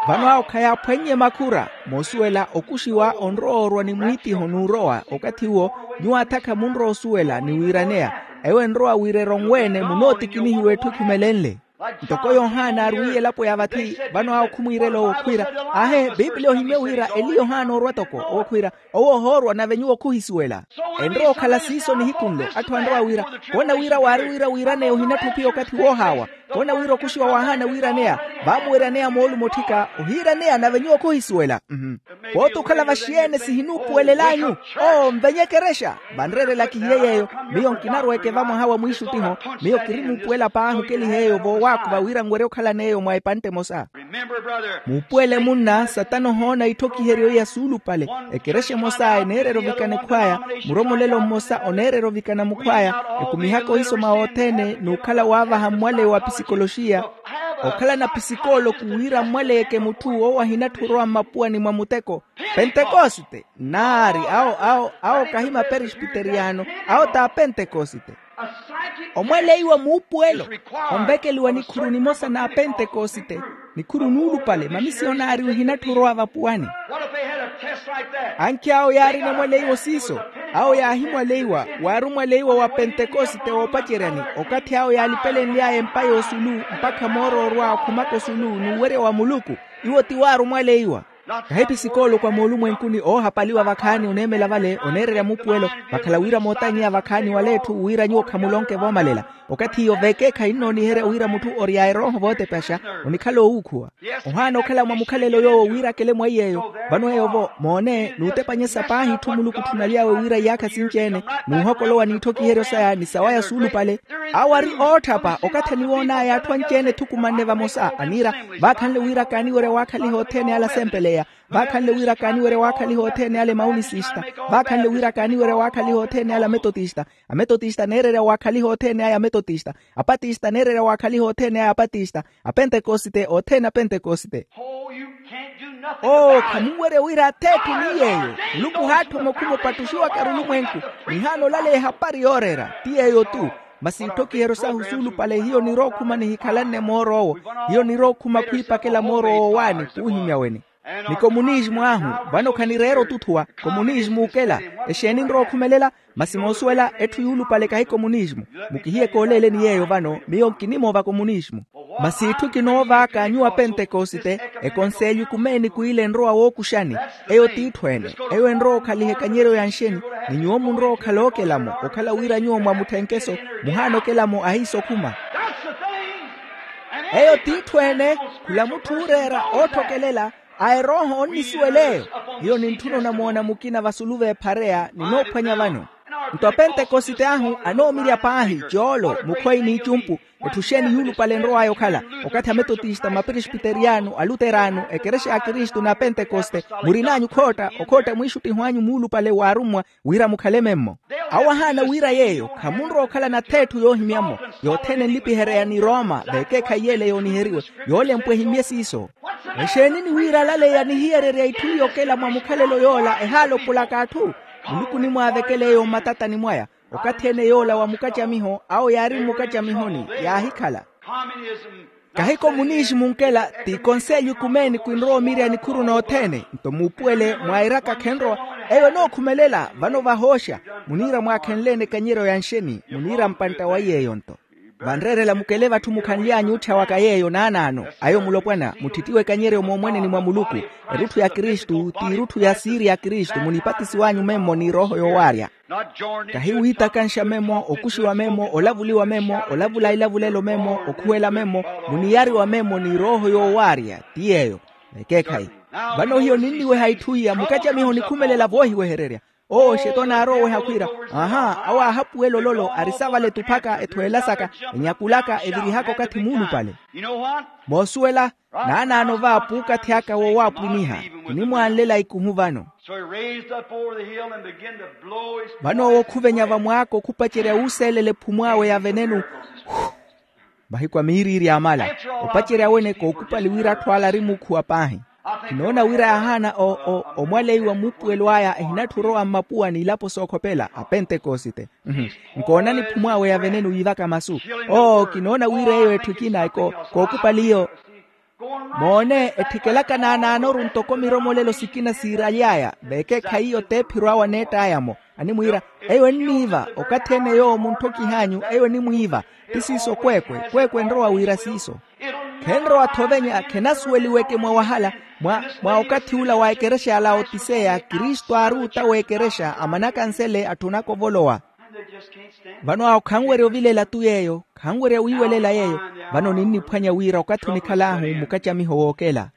Vano awo khayaaphwannye makhura. Moosuwela okuxiwa onrowa orwa ni mwiitiho n'urowa okathi uwo. Nyuwo atha khamunrowa osuwela ni wiiraneya. Ewo enrowa wira eronwe-ene munootikinihiwa etthu ekhumelenle. Ntoko yohana aarwiiye elapo ya vathi. Vano awo khumwiirela owo khwiira, aahe piipili ohimmye wira eli yohana orwa toko owo khwiira, owo ohoorwa nave nyuwo khuhisuwela. Enrowa okhala siiso nihiku nlo atthu anrowa wira, koona wira waari wira wiiraneya ohinatthu ophiya okathi woohaawa. Koona wira okuxiwa waahaana wiiraneya, vaamuweryaneya moolumo otthika ohiiraneya nave nyuwo khuhisuwela. Pooti okhala vaxi-ene sihinuupuwelel'anyu. Oo nvenye ekerexa. Vanreerela kihiye yeeyo. Miyo nkinarweeke vamwaha wa mwiixuttiho. Miyo kirimuupuwela paahi okeliha eyo voowaakhuva wira nwerye okhalana eyo mwa epantte emosa. Muupuwele munna satana ohoona itthokiheryo iya suulupale. Ekerexa emosa eneereera ovikana ekhw'aya. Muromolelo mmosa oneereera ovikana mukhw'aya. Ekumihaka ohisoma wothene n'ukhala waavaha mmwaleyo wa pisikoloxiya. Okhalana pisikooloko wira mmwaleyeke mutthu owo ahinatthu orowa mmapuwani mwa muteko. Pentekosite. Naari awo awo awo kahi maperesbiteriyano. Awo t'apentekosite. Omwaleiwa muupuwelo onvekeliwa nikhuru nimosa n'apentekosite. Nikhuru nuulupale mamisiyonari ohinatthu orowa vapuwani. Ankhi awo yaarina omwaleiwa siiso. Awo yaahimwaleiwa waari omwaleiwa wa pentekosite woopaceryani. Okathi awo yaalipelenly'aya empa y'osulu mpakha mooro orwa okhumaka osulu n'uwerya wa muluku. Iwo ti waari omwaleiwa. Kahi pisikooloko a moolumwenkuni oohapaliwa vakhaani oneemela vale oneererya muupuwelo. Vakhala wira mootanyeya vakhaani wala etthu wira nyuwo khamulonke voomalela. Okathi iyo veekeekhayi nnooniherya wira mutthu ori a erooho vootepaxa onikhala owuukhuwa. Ohaana okhala mwa mukhalelo yoowo wira akele mwa iy'eyo. Vano eyo-vo moone n'utepanyesa paahi itthu muluku otthunaly'awe wira iyaakha sinci-ene n'uhokolowa n'itthokiheryo saya ni sawaya suulupale. Awo ari ootthapa okathi aniwoon'aya atthu anci-ene ethukumanne vamosa aniira, vaakhanle wira kaaniwerya waakhaliha othene ale asempeleya. Vaakhanle wira kaaniwerya waakhaliha othene ale maunisista. Vaakhanle wira kaaniwerya waakhaliha othene ale ametotista. Ametotista aneererya waakhaliha othene aya ametotista. Apatista aneererya waakhaliha othene aya apatista. Apentekosite othene apentekosite. Oo khamunwerya wira atheethu ni yeeyo. Muluku haatthomokhuma opattuxiwaka arulumwenku. Nihaana olaleya ehapari yooreera ti yeeyo-tu. Masi itthokiheryo sahu suulupale hiyo nirookhuma nihikhalanne moor'owo. Hiyo nirookhuma khwiipakela mooro woowaani khuuhimya weni. Ni komunismu ahu vano khanireera otuthuwa. Komunismu okela. Exeeni nrowa okhumelela? Masi moosuwela etthu yuulupale kahi komunismu. Mukihiyeke oleeleni yeeyo vano miyo nkinimoova komunismu. Masi itthu kinoovaka nyuwo apentekosite. Ekonselyo ekumeeni kw'ile enrowa wookuxani. Eyo t'itthu-ene. Eyo enrowa okhaliha ekanyeryo ya nxeni. Ni nyuwo munrowa okhala ookela-mo okhala wira nyuwo mwa mutthenkeso. Muhaana okela-mo ahiisokhuma. Eyo t'itthu-ene. Khula mutthu ooreera ootthokelela a erooho onnisuwela eyo. Hiyo nintthuna onamoona mukina vasulu v'ephareya ninoophwanya vano. Nto apentekosite ahu anoomirya paahi coolo mukhwayi n'icumpu. Etthu xeeni yuulupale enrow'aya okhala? Okathi ametotista maperesbiteriyano aluterano ekerexa ya kristu n'apentekosite murin'anyu khootta okhootta mwiixuttiho anyu muulupale w'arummwa wira mukhale memmo. Awo ahaana wira yeeyo khamunrowa okhalana atheetthu yoohimya-mo. Yothene enlipiherya ya ni roma veekeekhayi yeele yooniheriwe. Yoolempwa ehimmye siiso. Exeeni ni wira alaleya nihiyererya itthu iyo okela mwa mukhalelo yoola ehaala opulaka atthu. Muluku onimwaavekela eyo mmatatani mwaya. Okathi ene yoola wa mukacamiho awo yaari mmukacamihoni yaahikhala. Kahi komunisimu nkela ti konselyo ekumeeni kwinrowa omirya nikhuru nothene nto muupuwele mwairaka khenrowa. Eyo enookhumelela vano vahooxa. Muniira mwaakhenleene ekanyeryo ya nxeni? Muniira mpantta wa yeeyo-nto. Vanreerela mukele vatthu mukhanly'anyu otthyawaka yeeyo naanaano. Ayo mulopwana mutthittiwe ekanyeryo moomweneni mwa muluku. Erutthu ya kristu t'irutthu ya siiri ya kristu munipatisiw'anyu memmo ni erooho yoowaarya. Kahi wiitakanxa memmo okuxiwa memmo olavuliwa memmo olavula ilavulelo memmo okhuwela memmo muniyariwa memmo ni erooho yoowaarya. Ti yeeyo. Ekeekhayi. Vano hiyo ninniweha itthu iya mukacamiho onikhumelela voohiwehererya. Owo xetona aaroweha khwiira, aha awo aahapuwela ololo ari savaletu phaka ethweela saka enyakulaka evirihaka okathi muulupale. Moosuwela naanaano vaapu okathi aka woowaapwiniha. Kinimwaanlela ikuhu vano. Vano owo khuvenya vamwaako khupacerya wuuseelela ephumw'awe ya venenu. Mahiku a miiriiri yaamala opacerya wene kookupali wira atthu ala ari muukhuwa paahi. Kinoona wira yaahaana omwaleiwa muupuwelo aya ehinatthi orowa mmapuwa n'ilapo sookhopela a pentekosite. Nkoona niphumw'awe ya venenu yiivaka masu. Oo kinoona wira eyo etthu ekina kookupali iyo. Moone ethikelaka naanaanoru ntoko miromolelo sikina siiraly'aya veekeekhayi iyo t'ephiro awo aneett'aya-mo. Animwiira eyo enniiva okathi-ene yoowo muntthokihanyu eyo enimwiiva. Ti siiso kweekwe kweekwe enrowa wira siiso. Khenrowa-tho ovenya khenasuweliweke mwa wahala. Mwa okathi ula wa ekerexa ya laotiseya kristu aari ota w'ekerexa amanaka nsele atthunaka ovolowa. Vano awo khanwerya ovilela tu yeeyo. Khanwerya wiiwelela yeeyo. Vano ninniphwanya wira okathi onikhal'ahu mukacamiho wookela.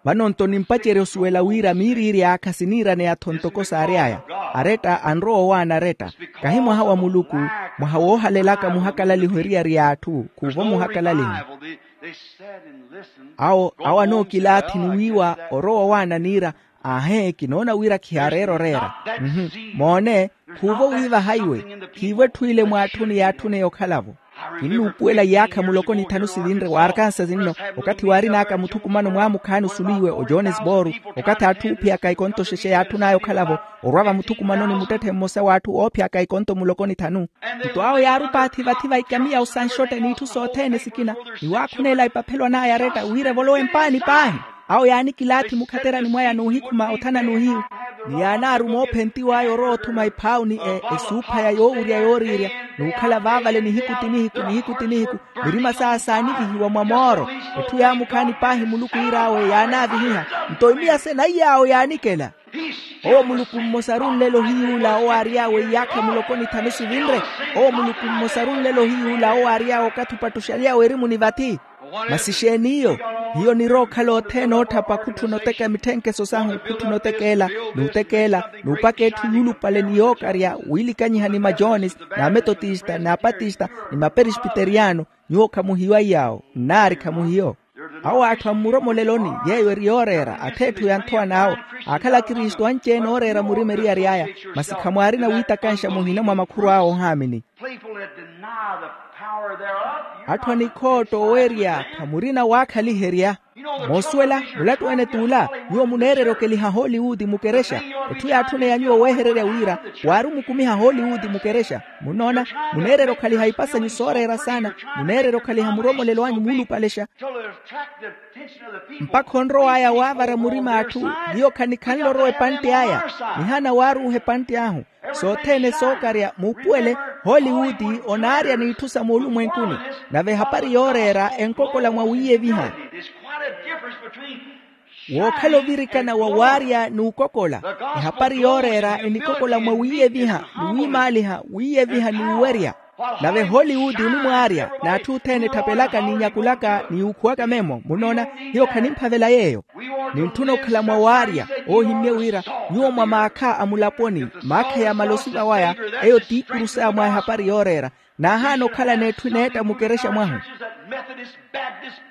Vano-nto nimpacerya osuwela wira miiriiri yaakha siniiraneya-tho ntoko saary'aya. Aretta anrowa owaana aretta. Kahi mwaha wa muluku mwaha woohalelaka muhakalaliho eriyari y'atthu khuuvo muhakalaliho. Awo awo anookilaathi ni wiiwa orowa owaana niira. Aahe kinoona wira khiyaareera oreera. Moone khuuvo wiivaha iwe. Khiivo etthu ile mwaatthuni yaatthune yokhalavo. Kinnuupuwela iyaakha muloko ni thanu sivinre wa arkansasi nno. Okathi waarin'aka muthukumano mwaamukhaani osulu iwe ojonesboru okathi atthu oophiyaka ikonto xexe yaatthun'aya okhalavo orwa vamuthukumanoni muttetthe mmosa w'atthu oophiyaka ikonto muloko ni thanu. Nto awo yaari opaathi vathi va ikamiya osanxotte n'itthu sothene sikina. Ni waakhuneela epaphelo an'aya aretta wira evolowe mpaani paahi. Awo yaanikilaathi mukhaterani mwaya n'uhikhuma othana n'uhiyu. Ni yaanaaruma oophentiw'aya orowa othuma ephawu ni esuuphaya yoowurya yooriirya n'ukhala vaavale nihiku ti nihiku nihiku ti nihiku. Mirima saya saanivihiwa mwa mooro. Etthu yaamukhaani paahi muluku yiir'awe yaanaavihiha. Nto imiya sena iy'awo yaanikela. Owo muluku mmosa ari onlelo ohiyuula owo aary'awe iyaakha muloko ni thanu sivinre. Owo muluku mmosa ari onlelo ohiyuula owo aary'awe okathi opattuxaly'awe erimuni vathi. Masi exeeni iyo? Hiyo onirowa okhala othene ootthapa khutthuna oteka mitthenkeso sahu khutthuna otekeela n'utekeela n'upaka etthu yuulupale ni yookarya wiilikanyiha ni majones n'ametotista n'apatista ni maperespiteriyano. Nyuwo khamuhiyo aiy'awo nnaari khamuhiyo. Awo atthu a mmuromoleloni yeeyo eri yooreera ath'etthu ya nthowa n'awo. Aakhala akristu anci-ene ooreera murima eriyari aya. Masi khamwaarina wiitakanxa muhina mwa makhurw'awe oohaamini. Atthu a nikhootta owerya khamurina waakhaliherya. Moosuwela mulattu-ene t'ula. Nyuwo muneererya okeliha hollywood mukerexa. Etthu yaatthune ya nyuwo wehererya wira waari omukumiha hollywood mukerexa. Munnoona? Muneererya okhaliha ipasanyu sooreera saana. Muneererya okhaliha muromolelo anyu muulupalexa. Mpakha onrow'aya waavara murima atthu. Hiyo khanikhanle orowa epantte aya. Nihaana waaruuha epantte ahu. Sothene sookarya muupuwele hollywood onaarya n'itthu sa moolumwenkuni. Nave ehapari yooreera enkokola mwa wiiyeviha. Wookhala ovirikana wa waarya n'ukokola. Ehapari yooreera enikokola mwa wiiyeviha ni wiimaaliha wiiyeviha ni uwerya. Nave hollywood onimwaarya n'atthu othene etthapelaka n'inyakulaka ni ukhuwaka memmo munnoona. Hiyo khanimphavela yeeyo. Nintthuna okhala mwa waarya oohimmye wira nyuwo mwa maakha a mulaponi maakha yaamala osiva waya. Eyo t'ikuru saya mwa ehapari yooreera. Naahaana okhala n'etthu eneetta mukerexa mwahu.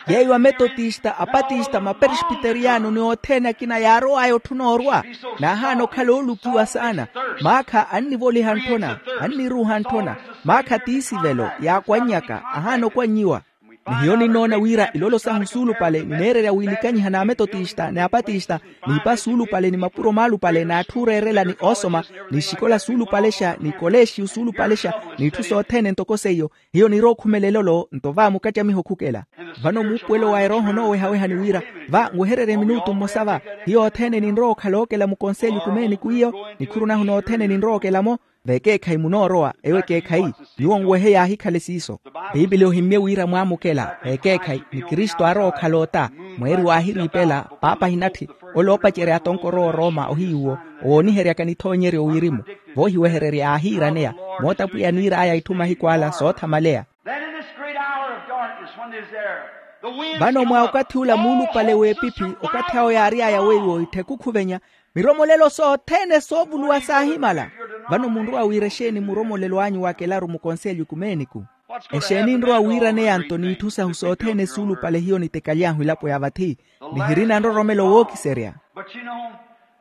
Yeeyo ametotista apatista maperespiteriyano ni othene akina yaarow'aya otthuna orwa. Naahaana okhala oolukiwa saana. Maakha annivoliha ntthona anniruuha ntthona. Maakha t'isivelo yaakwannyaka ahaana okwannyiwa. Ni hiyo ninnoona wira ilolo sahu suulupale nineererya wiilikanyiha n'ametotista n'apatista, n'ipa suulupale ni mapuro maalupale n'atthu ooreerela ni oosoma, ni ixikola suulupalexa ni koleexiyu suulupalexa, n'itthu sothene ntoko seiyo. Hiyo nirowa okhumela elolo nto va mukattamiho khukela. Vano muupuwelo wa erooho noowehaweha ni wira, va nwehererye minutu mmosa va. Hiyo othene ninrowa okhala ookela mukonselyo ikumeeniku iyo, nikhuru nahu nothene ninrowa okela-mo. Vekeekhayi munoorowa ewo ekeekhayi. Nyuwo nwehe yaahikhale siiso. Piipili ohimmye wira mwaamukela vekeekhayi ni kristu aarowa okhala ota. Mweeri waahiriipela paapa ahinatthi, ole oopacerya atonkor'owo orooma ohiyuwo, owooniheryaka nithoonyeryo wirimu. Voohiwehererya aahiiraneya, moota pwiya aniir'aya itthu mahiku ala soothamaleya. Then in this great hour of darkness, when there's there, the winds vano come mwa up, okathi ula muulupale w'epiphi okathi awo yaary'aya weiwo ittheku khuvenya, miromolelo sothene soovuluwa saahimala. Vano munrowa wira exeeni muromolelo anyu wakelaru mukonselyo ikumeeniku? Exeeni nrowa wiiraneya nto n'itthu sahu sothene suulupale hiyo nitekaly'ahu elapo ya vathi, nihirina nroromelo wookiserya. But you know,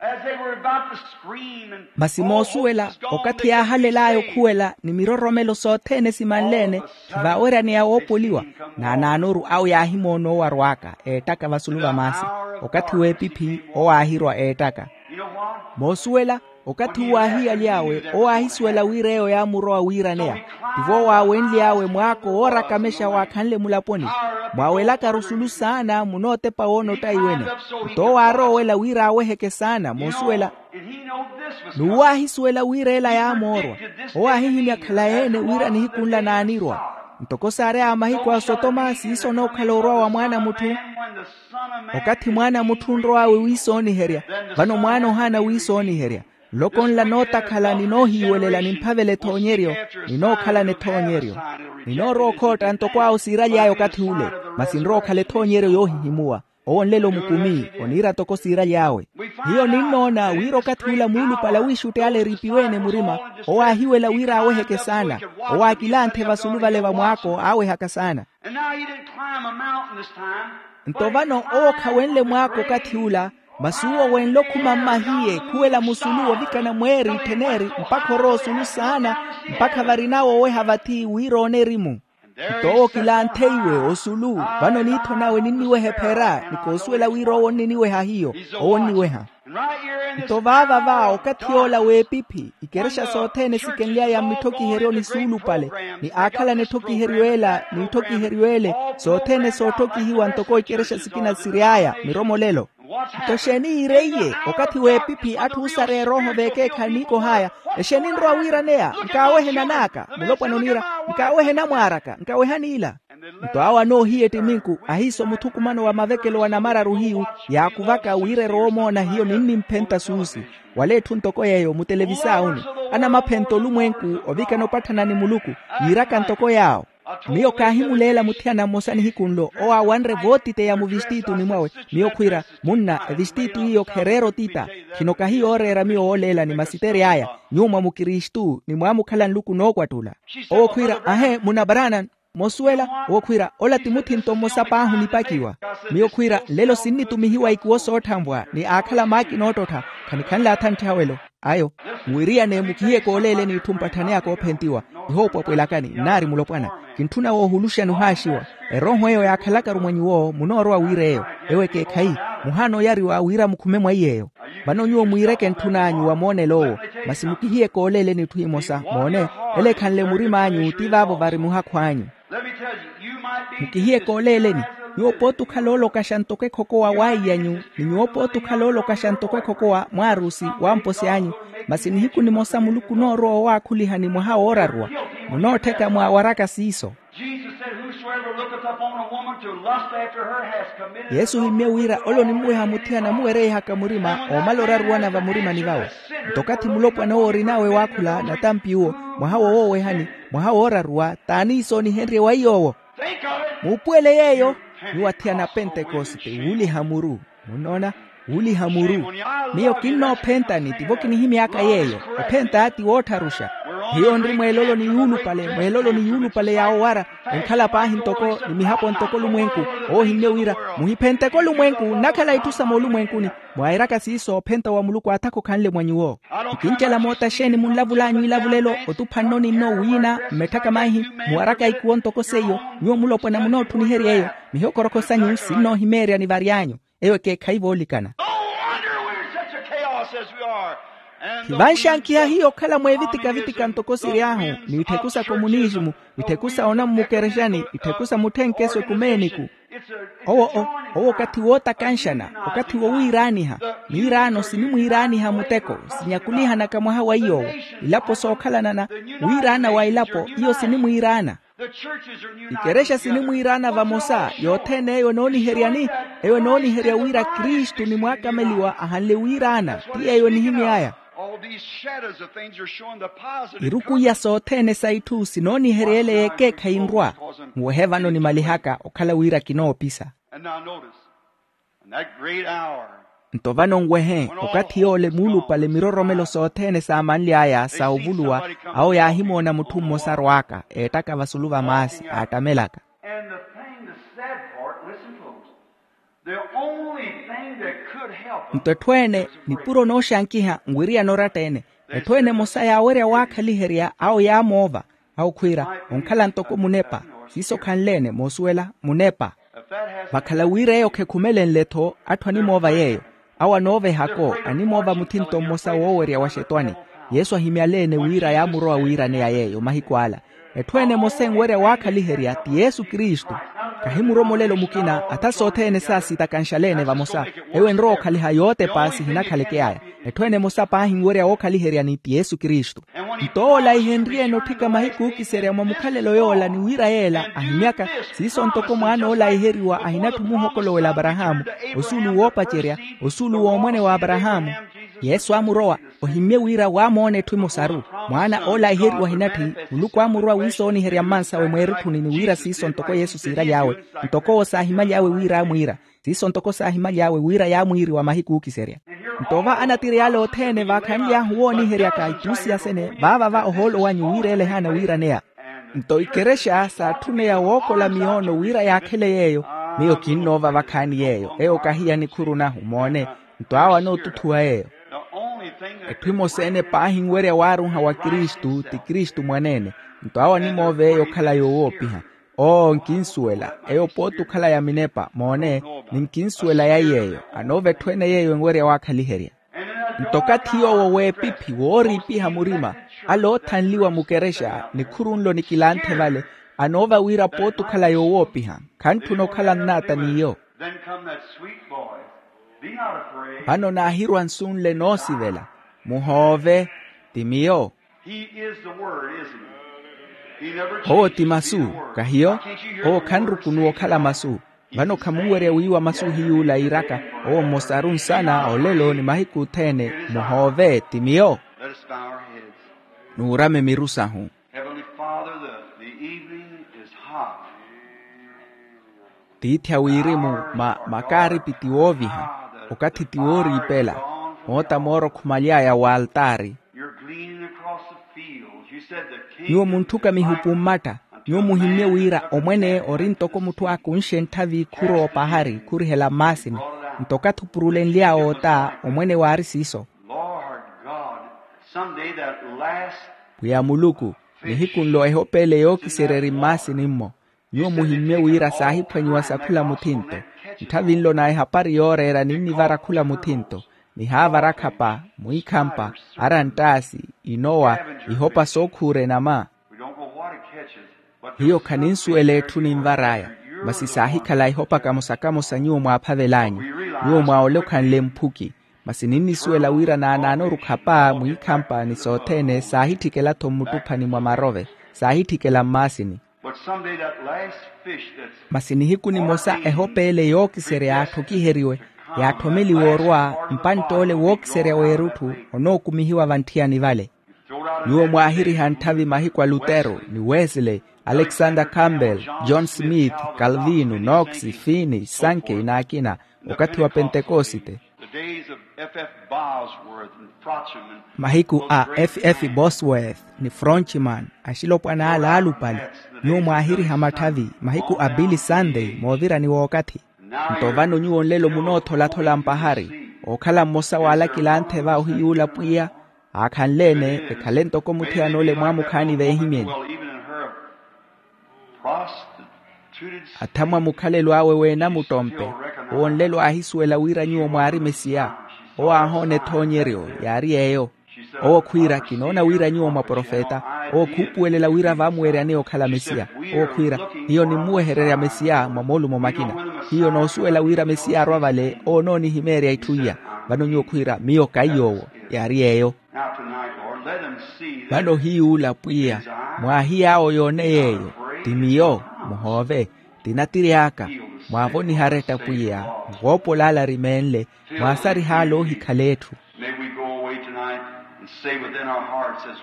as they were about to scream and masi moosuwela, okathi yaahalel'aya okhuwela ni miroromelo sothene simanleene, khivaaweryaneya woopoliwa. Naanaanoru awo yaahimoona owarw'aka eettaka vasulu va maasi. Okathi w'epiphi owaahirwa eettaka. Moosuwela, okathi uwo aahiyaly'awe owo aahisuwela wira eyo yaamurowa wiiraneya. Tivo owo aawenly'awe mwaako woorakamixa waakhanle mulaponi, mwaawelakaru sulu saana munootepa woonotta iwene. Nto owo aaroowela wira aaweheke saana moosuwela. N'uwo aahisuwela wira ela yaamoorwa. Owo aahihimya khalayi-ene wira nihiku nla naanirwa. Ntoko saary'aya mahiku a sotoma siiso onookhala orwa wa mwaana a mutthu. Okathi mwaana a mutthu onrow'awe wiisooniherya, vano mwaana ohaana wiisooniherya. Nloko nla nootakhala ni noohiiwelela nimphavela ethoonyeryo, ni nookhalana ethoonyeryo. Ninoorowa okhootta ntoko awo siiraly'aya okathi ule, masi nrowa okhala ethoonyeryo yoohihimuwa. Owo nlelo mukumi oniira ntoko siiraly'awe. Hiyo ninnoona wira okathi ula muulupale awiixutti ale eriipiwe-ene murima, owo aahiwela wira aaweheke saana. Owo aakilanthe vasulu vale va mwaako aawehaka saana. Nto vano owo khawenle mwaako okathi ula, masi uwo wenle okhuma mmahiye khuwela musulu ovikana mweeri ttheneeri mpakha orowa osulu saana, mpakha varina wooweha vathi wira oone erimu. Nto owo kilantheiwe osulu, vano niitho nawe ninniweha ephera ni koosuwela wira owo onniniweha hiyo. Owo onniweha. Nto vaava va okathi yoola w'epiphi ikerexa sothene sikenly'aya mmitthokiheryo ni suulupale, ni aakhalana etthokiheryo ela n'itthokiheryo ele, sothene sootthokihiwa ntoko ikerexa sikina siry'aya miromolelo. Nto exeeni yiireiye okathi w'epiphi atthu oosareya erooho veekeekhayi niikoh'aya? Exeeni nrowa wiiraneya? Nkaawehe nan'aka mulopwana oniira. Nkaawehe namwaar'aka. Nkawehani ila. Nto awo anoohiya ettiminku ahiiso muthukumano wa mavekelo wa namararu hiyu, yaakuvaka wira erowa omoona hiyo ninnimphenta suusi. Wala etthu ntoko yeeyo mutelevisawuni, anamaphenta olumwenku ovikana opatthana ni muluku, yiiraka ntoko yaawo. Miyo kaahimuleela muthiyana mmosa nihiku nlo owo aawanre vootiteya muvistituni mwawe. Miyo khwiira, munna, evistitiyi iyo khereera otita. Khino kahi yooreera miyo wooleelani masitere aya. Nyuwo mwa mukristu ni mwaamukhala nluku nookwattula. Owo khwiira, ahe munna branan. Moosuwela, owo khwiira ola ti muthinto mmosa paahi onipakiwa. Miyo khwiira nlelo sinnitumihiwa ikuwo sootthanvwa ni aakhala maakina oottottha. Khanikhanle athantthiha welo. Ayo, muwiriyane mukihiye kooleeleni itthu mpatthaneyaka oophentiwa. Ihoopwapwelakani nnaari mulopwana. Kintthuna woohuluxa nihaaxiwa. Erooho eyo yaakhalakaru mwa nyuwo munoorowa wira eyo. Ewo ekeekhayi, muhaana oyariwa wira mukhume mwa iy'eyo. Vano nyuwo mwiireke ntthun'anyu wa moonelo owo. Masi mukihiye kooleeleni itthu imosa moone, ele ekhanle murim'anyu ti vaavo vari muhakhu anyu. Mukihiye kooleeleni. Nyuwo pooti okhala oolokaxa ntoko ekhokowa w'aiyanyu, ni nyuwo pooti okhala oolokaxa ntoko ekhokowa mwaarusi w'amposi anyu. Masi nihiku nimosa muluku onoorowa owaakhuliha ni mwaha wooraruwa. Munoottheka mwaawaraka siiso. Yesu ohimmye wira ole onimuweha muthiyana amuwereihaka murima oomala oraruwana vamurimani vawe. Nto okathi mulopwana owo orinawe waakhula natampi uwo, mwaha wowoowehani, mwaha wooraruwa t'aniiso onihenrye wa iy'owo. Muupuwele yeeyo. Nyuwo athiyana a pentekosite wuuliha muru. Munnoona? Wuuliha muru. Miyo kinnoophentani tivo kinihimy'aka yeeyo. Ophenta ti woottharuxa. Hiyo nri mweelolo ni yuulupale mweelolo ni yuulupale ya owara, enkhala paahi ntoko ni mihapo ntoko olumwenku. Owo ohimmye wira, muhiphenteke olumwenku nnakhala itthu sa moolumwenkuni. Mwairaka siiso ophenta wa muluku aathaka okhanle mwa nyuwo. Nkincela moota xeeni munlavul'anyu ilavulelo otupha nno ni nno wiina mmetthaka maihi, muwaraka ikuwo ntoko seiyo. Nyuwo mulopwana munoottuniherya eyo. Mihokorokho sanyu sinnoohimeerya nivary'anyu. Eyo ekeekhayi voolikana. Hivanxankiha hiyo okhala mweevitika-vitika ntoko siry'ahu, n'itthiku sa komunisimu, itthiku sa onammukerexani, itthiku sa mutthenkeso ekumeeniku. Owo owo okathi wootakanxana, okathi wowiiraaniha. Miiraano sinimwiiraaniha muteko, sinyakulihanaka mwaha wa iy'owo. Ilapo sookhalanana, wiiraana wa ilapo iyo sinimwiiraana. Ikerexa sinimwiiraana vamosa yothene eyo enooniheryani. Eyo enooniherya wira kristu ni mwaakameliwa ahanle wiiraana. Ti yeeyo nihimy'aya. Iruku iya sothene sa itthu sinooniherya ele y'ekeekhayi nrwa. Nwehe vano nimalihaka okhala wira kinoopisa. Nto vano nwehe okathi yoole muulupale miroromelo sothene saamanly'aya sa ovuluwa. Awo yaahimoona mutthu mmosa arwaaka eettaka vasulu va maasi aattamelaka. Nto etthu ene nipuro nooxankiha nwiriyana oratta-ene. Etthu ene emosa yaawerya waakhaliherya awo yaamoova. Awo khwiira onkhala ntoko munepa. Siiso khanle-ene moosuwela munepa. Vakhala wira eyo khekhumelenle-tho atthu animoova yeeyo. Awo anoovehako animoova muthinto mmosa woowerya wa xetwani. Yesu ahimyale-ene wira yaamurowa wiiraneya yeeyo mahiku ala. Etthu ene emosa enwerya waakhaliherya ti yesu kristu. Kahi muromolelo mukina atha sothene saasitakanxale-ene vamosa. Eyo enrowa okhaliha yootepa sihinakhaleke aya. Etthu ene emosa paahi enwerya wookhaliheryani ti yesu kristu. Nto owo olaihenrye-ene otthika mahiku ookiserya mwa mukhalelo yoola ni wira yeela ahimyaka. Siiso ntoko mwaana oolaiheriwa ahinatthu muhokolowela aparahaamu osuulu woopacerya osuulu w'omwene wa aparahaamu. Yesu aamurowa ohimmye wira waamoona etthu emosaru. Mwaana oolaiheriwa ahinatthi muluku aamurowa wiisooniherya mmansawe mweerutthuni ni wira siiso ntoko yesu siiraly'awe. Ntoko owo saahimaly'awe wira aamwiira. Siiso ntoko saahimaly'awe wira yaamwiiriwa mahiku ookiserya. Nto va anatiriy'ale othene vaakhanly'ahu wooniheryaka ituusiya sene vaava va ohoolo wanyu wira ele ehaana wiiraneya. Nto ikerexa saatthuneya wookola miyoono wira yaakhele yeeyo. Miyo kinnoova vakhaani yeeyo eyo kahi ya nikhuru nahu moone. Nto awo anootuthuwa yeeyo. Etthu emosa-ene paahi enwerya waarunha wa kristu ti kristu mwaneene. Nto awo animoova eyo okhala yoowoopiha. Oo nkinsuwela eyo pooti okhala ya minepa moone. Ni nkinsuwela ya yeeyo anoova etthu ene yeeyo enwerya waakhaliherya. Nto okathi yoowo w'epiphi wooriipiha murima ale oothanliwa mukerexa nikhuru nlo nikilanthe vale. Anoova wira pooti okhala yoowoopiha khantthuna okhala nnaata n'iyo. Vano naahirwa nsu nle noosivela muhoove ti miyo. Owo ti masu kahiyo. Owo khanrukunuwa okhala masu. Vano khamunwerya wiiwa masu hiy'ula iiraka owo mmosaru nsana olelo ni mahiku othene muhoove ti miyo. Nuurame miru sahu. Tiithi a wirimu ma makaaripi ti wooviha okathi ti wooriipela. Moota mooro khumaly'aya w'altaari. Nyuwo munthuka mihupu mmatta. Nyuwo muhimmye wira omwene ori ntoko mutthu aakunxe ntthavi khuroopa ahari khurihela mmaasini. Nto okathi opurulenly'awe ota omwene waari siiso. Pwiya muluku, nihiku nlo ehopeele yookiserya eri mmaasini-mmo. Nyuwo muhimmye wira saahiphwanyiwa sa khula muthinto. Ntthavi nlo na ehapari yooreera ninnivara khula muthinto. Nihaavara akhapa mwiikhampa, aranttaasi, inowa, ihopa sookhuura enama. Hiyo khaninsuwela etthu ninvar'aya. Masi saahikhala ihopa kamosa-kamosa nyuwo mwaaphavel'anyu. Nyuwo mwaawolokhanle mphuki. Masi ninnisuwela wira naanaanoru khapa mwiikhampa ni sothene saahitthikela-tho mmuttuphani mwa marove. Saahitthikela mmaasini. Masi nihiku nimosa ehopeele yookiserya yaatthokiheriwe, yaatthomeliwe orwa mpantt'ole wookiserya w'erutthu onookumihiwa vantthiyani vale. Nyuwo mwaahiriha ntthavi mahiku a lutero ni wesley, alexander campbell, john smith, calvino, nox, fini, sankey n'akina. Okathi wa pentekosite. F F Bosworth and Frochman. Mahiku a F F Bosworth ni Fronchman, axilopwana ala alupale, nyuwo mwaahiriha matthavi mahiku a billy sunday moovirani w'okathi. Nto vano nyuwo nlelo munootholaathola mpahari, ookhala mmosa w'alakilanthe va ohiy'ula pwiya, aakhanle-ene ekhale ntoko muthiyan'ole mwaamukhaani veehimyeni. Athamwa mukhalelo awe w'enamuttompe, owo nlelo aahisuwela wira nyuwo mwaari mesiya. Owo aahoona ethoonyeryo yaari eyo. Owo khwiira, kinoona wira nyuwo mwaprofeta. Owo khuupuwelela wira vaamuweryaneya okhala mesiya. Owo khwiira, hiyo nimmuwehererya mesiya mwa moolumo makina. Hiyo noosuwela wira mesiya arwa vale owo onoonihimeerya itthu iya. Vano nyuwo khwiira miyo kaiy'owo, yaari eyo. Vano hiy'ula pwiya, mwaahiy'awo yoone yeeyo, ti miyo, muhoove, ti natiri aka. Mwaavoniha aretta pwiya, nvoopola ale arimeenle, mwaasariha ale oohikhala etthu.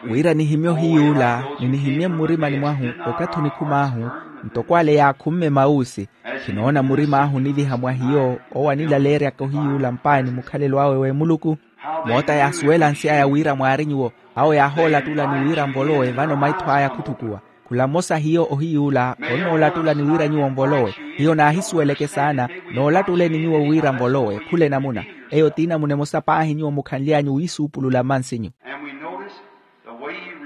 Wira nihimye ohiy'ula ni nihimye mmurimani mwahu, okathi onikhum'ahu, ntoko ale yaakhumme mawuusi. Khinoona murim'ahu oniviha mwa hiyo owo anilaleeryaka ohiy'ula mpaani mukhalelo awe w'emuluku. Moota yaasuwela nsi aya wira mwaari nyuwo, awo yaahoolatulani wira mvolowe vano maitho aya khuttukuwa. Khula mmosa hiyo ohiy'ula, onnoolatulani wira nyuwo mvolowe. Hiyo naahisuweleke saana, noolatuleni nyuwo wira mvolowe khula enamuna. Eyo t'inamuna emosa paahi nyuwo mukhanly'anyu wiisuupulula mmansinyu.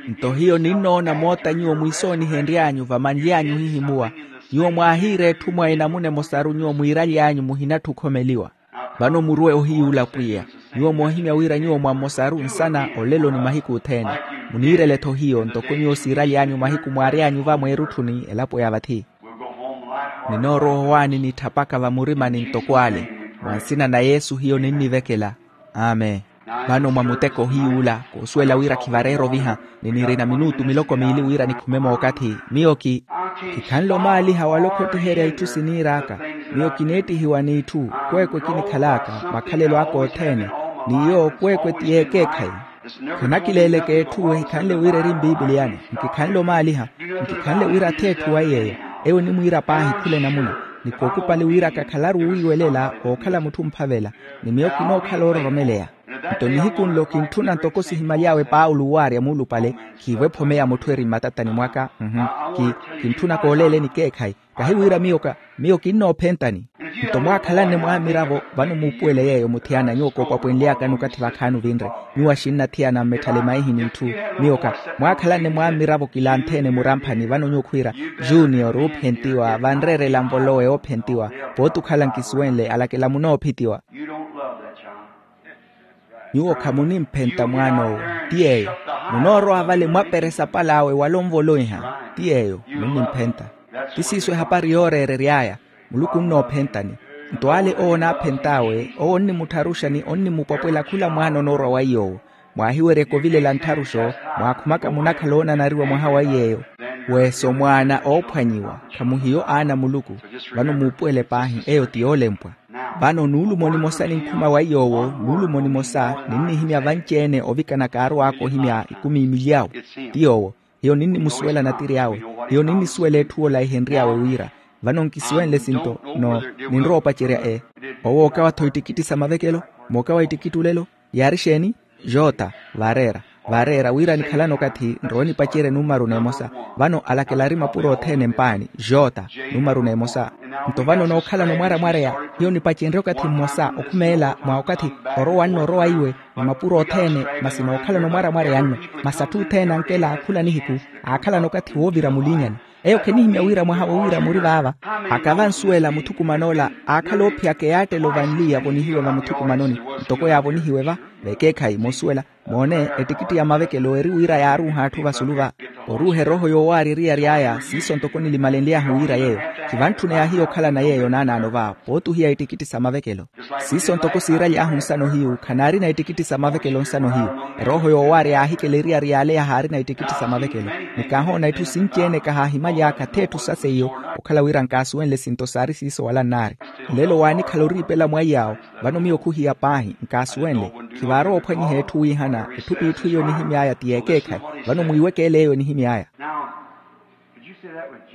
Nto hiyo ninnoona moota nyuwo mwiisoonihenry'anyu vamanly'anyu ohihimuwa. Nyuwo mwaahiira etthu mwa enamuna emosaru nyuwo mwiiraly'anyu muhinatthi okhomeliwa. Vano muruwe ohiy'ula pwiya, nyuwo moohimya wira nyuwo mwa mmosaru nsana olelo ni mahiku othene. Muniirele-tho hiyo ntoko nyuwo siiraly'anyu mahiku mwaary'anyu va mweerutthuni elapo ya vathi. Ninoorowa owaani nitthapaka vamurimani ntoko ale. Mwa nsina na yesu hiyo ninnivekela. Amen. Vano mwa muteko ohiy'ula koosuwela wira khivareera oviha, ni nirina minutu miloko miili wira nikhume mookathi. Miyo ki, kikhanle omaaliha wala okhottiherya itthu siniir'aka. Miyo kineettihiwa n'itthu, kweekwe kinikhal'aka makhalelo aka othene. N'iyo kweekwe ti yeekeekhayi. Khanakileeleke etthu ehikhanle wira eri mpiipiliyani. Nkikhanle omaaliha, nkikhanle wira ath'etthu wa yeeyo. Eyo onimwiira paahi khula enamuna, ni kookupali wira kakhalaru wiiwelela ookhala mutthu omphavela. Ni miyo kinookhala oororomeleya. Nto nihiku nlo kintthuna ntoko sihimaly'awe paulo owaarya muulupale, khiivo ephome ya mutthu eri mmatatani mwaka. Ki, kintthuna kooleeleni keekhayi. Kahi wira miyo ka, miyo kinnoophentani. Nto mwaakhalanne mwaamiravo, vano muupuwele yeeyo muthiyana nyuwo koopwapwenly'akani okathi vakhaani ovinre. Nyuwo axinnathiyana mmetthale maihi n'itthu. Miyo ka, mwaakhalanne mwaamiravo kilantheene muramphani vano nyuwo khwiira, junior oophentiwa vanreerela nvolowe oophentiwa. Pooti okhala nkisuwenle alakela munoophitiwa. Nyuwo khamunimphenta mwaan'owo. Ti yeeyo. Munoorowa vale mwaperesa pal'awe wala onvoloiha. Ti yeeyo. Munnimphenta. Ti siiso ehapari yooreerery'aya. Muluku onnoophentani. Nto ale owo onaaphent'awe owo onnimuttharuxa ni onnimupwapwela khula mwaana onoorwa wa iy'owo. Mwaahiweryeke ovilela nttharuxo, mwaakhumaka munakhala oonanariwa mwaha wa iy'eyo. Weeso mwaana oophwanyiwa. Khamuhiyo aana a muluku. Vano muupuwele paahi eyo ti yoolempwa. Vano nuulumo nimosa ninkhuma wa iy'owo, nuulumo nimosa ninnihimya vanci-ene ovikana kaarow'aka ohimya ikumi imilyawo. Ti yoowo. Hiyo ninnimusuwela natiri awe. Hiyo ninnisuwela etthu ola ehenry'awe wira. Vano nkisuwenle sinto no, ninrowa opacerya e. Owo okawa-tho ittikitti sa mavekelo. Mookawa ittikitti olelo. Yaari exeeni? Joota. Vareera. Vareera wira nikhalana okathi nrowe nipacerye numaru n'emosa. Vano alakela ari mapuro othene mpaani. Joota. Numaru n'emosa. Nto vano nookhalana omwaramwareya, hiyo nipacenrye okathi mmosa okhumeela mwa okathi orowa nno orowa iwe. Ni mapuro othene. Masi nookhalana omwaramwareya nno. Masi atthu othene ankela aakhula nihiku. Aakhalana okathi woovira mulinyani. Eyo khenihimya wira mwaha woowira muri vaava. Akava ansuwela muthukuman'ola, aakhala oophiyaka eyaattela ovanliya avonihiwe vamuthukumanoni. Ntoko yaavonihiwe va, vekeekhayi moosuwela. Moone, ettikitti ya mavekelo eri wira yaaruuha atthu vasulu va. Oruuha erooho yoowaarya eriyari aya siiso ntoko nilimalenly'ahu wira yeeyo. Khivantthuney'ahiya okhalana yeeyo naanaano va, pooti ohiya ettikitti sa mavekelo. Siiso ntoko siiraly'ahu nsano hiyu khanaarina ettikitti sa mavekelo nsano hiyu. Erooho yoowaarya yaahikela eriyari yaale yahaarina ettikitti sa mavekelo. Ni kaahoona itthu sinci-ene kahaahimaly'aka ath'etthu sa seiyo. Okhala wira nkaasuwenle sinto saari siiso wala nnaari. Nlelo waanikhala oriipela mwa iy'awo. Vano miyo khuhiya paahi nkaasuwenle. Khivaarowa ophwanyiha etthu wiihana. Etthu p'itthu iyo enihimy'aya ti yeekeekhayi. Vano mwiiweke ele eyo enihimy'aya.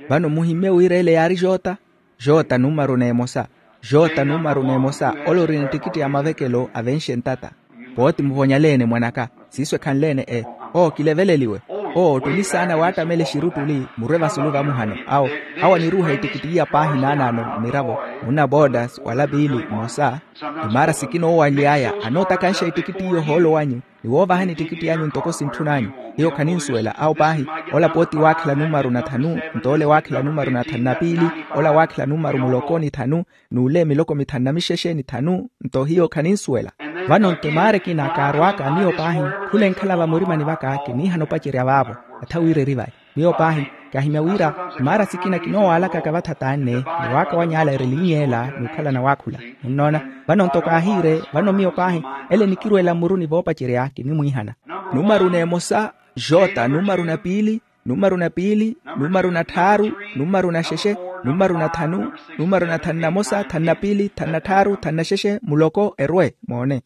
Vano muhimmye wira ele yaari joota. Joota numaru n'emosa. Jota numaru n'emosa, ole ori ni tikitti ya mavekelo avenxe ntata. Pooti muvonyaleene mwanaka. Siiso ekhanleene e. Oo kileveleliwe. Oo ottuli saana waattamela exiruttuli murwe vasulu vamuhano. Awo, awo aniruuha etikitti iya paahi naanaano mmiravo, munna boodasi wala piili mmosa. Imaara sikina owaly'aya anootakanxa etikitti iyo ohoolo wanyu, ni woovahani etikitti yanyu ntoko sintthun'anyu. Hiyo khaninsuwela awo paahi. Ola pooti waakhela numaru na thanu, nto ole waakhela numaru na thanu na piili, ola waakhela numaru muloko ni thanu, n'ule miloko mithanu na mixexe ni thanu. Nto hiyo khaninsuwela. Vano nto emaara ekina kaarwaaka miyo paahi, khula enkhala vamurimani vaka kiniihana opacerya vaavo. Atha wira eri vai. Miyo paahi, kaahimya wira emaara sikina kinoowaalakaka vathataanne, ni waakawany'ala ereliny'ela n'ukhalana waakhula. Munnoona? Vano nto kaahiire. Vano miyo paahi, ele nikirweela mmuruni voopacerya kinimwiihana. Numaru n'emosa, jota numaru na piili, numaru na piili, numaru na tthaaru, numaru na xexe, numaru na thanu, numaru na thanu na mosa, thanu na piili, thanu na tthaaru, thanu na xexe, muloko erwe. Moone.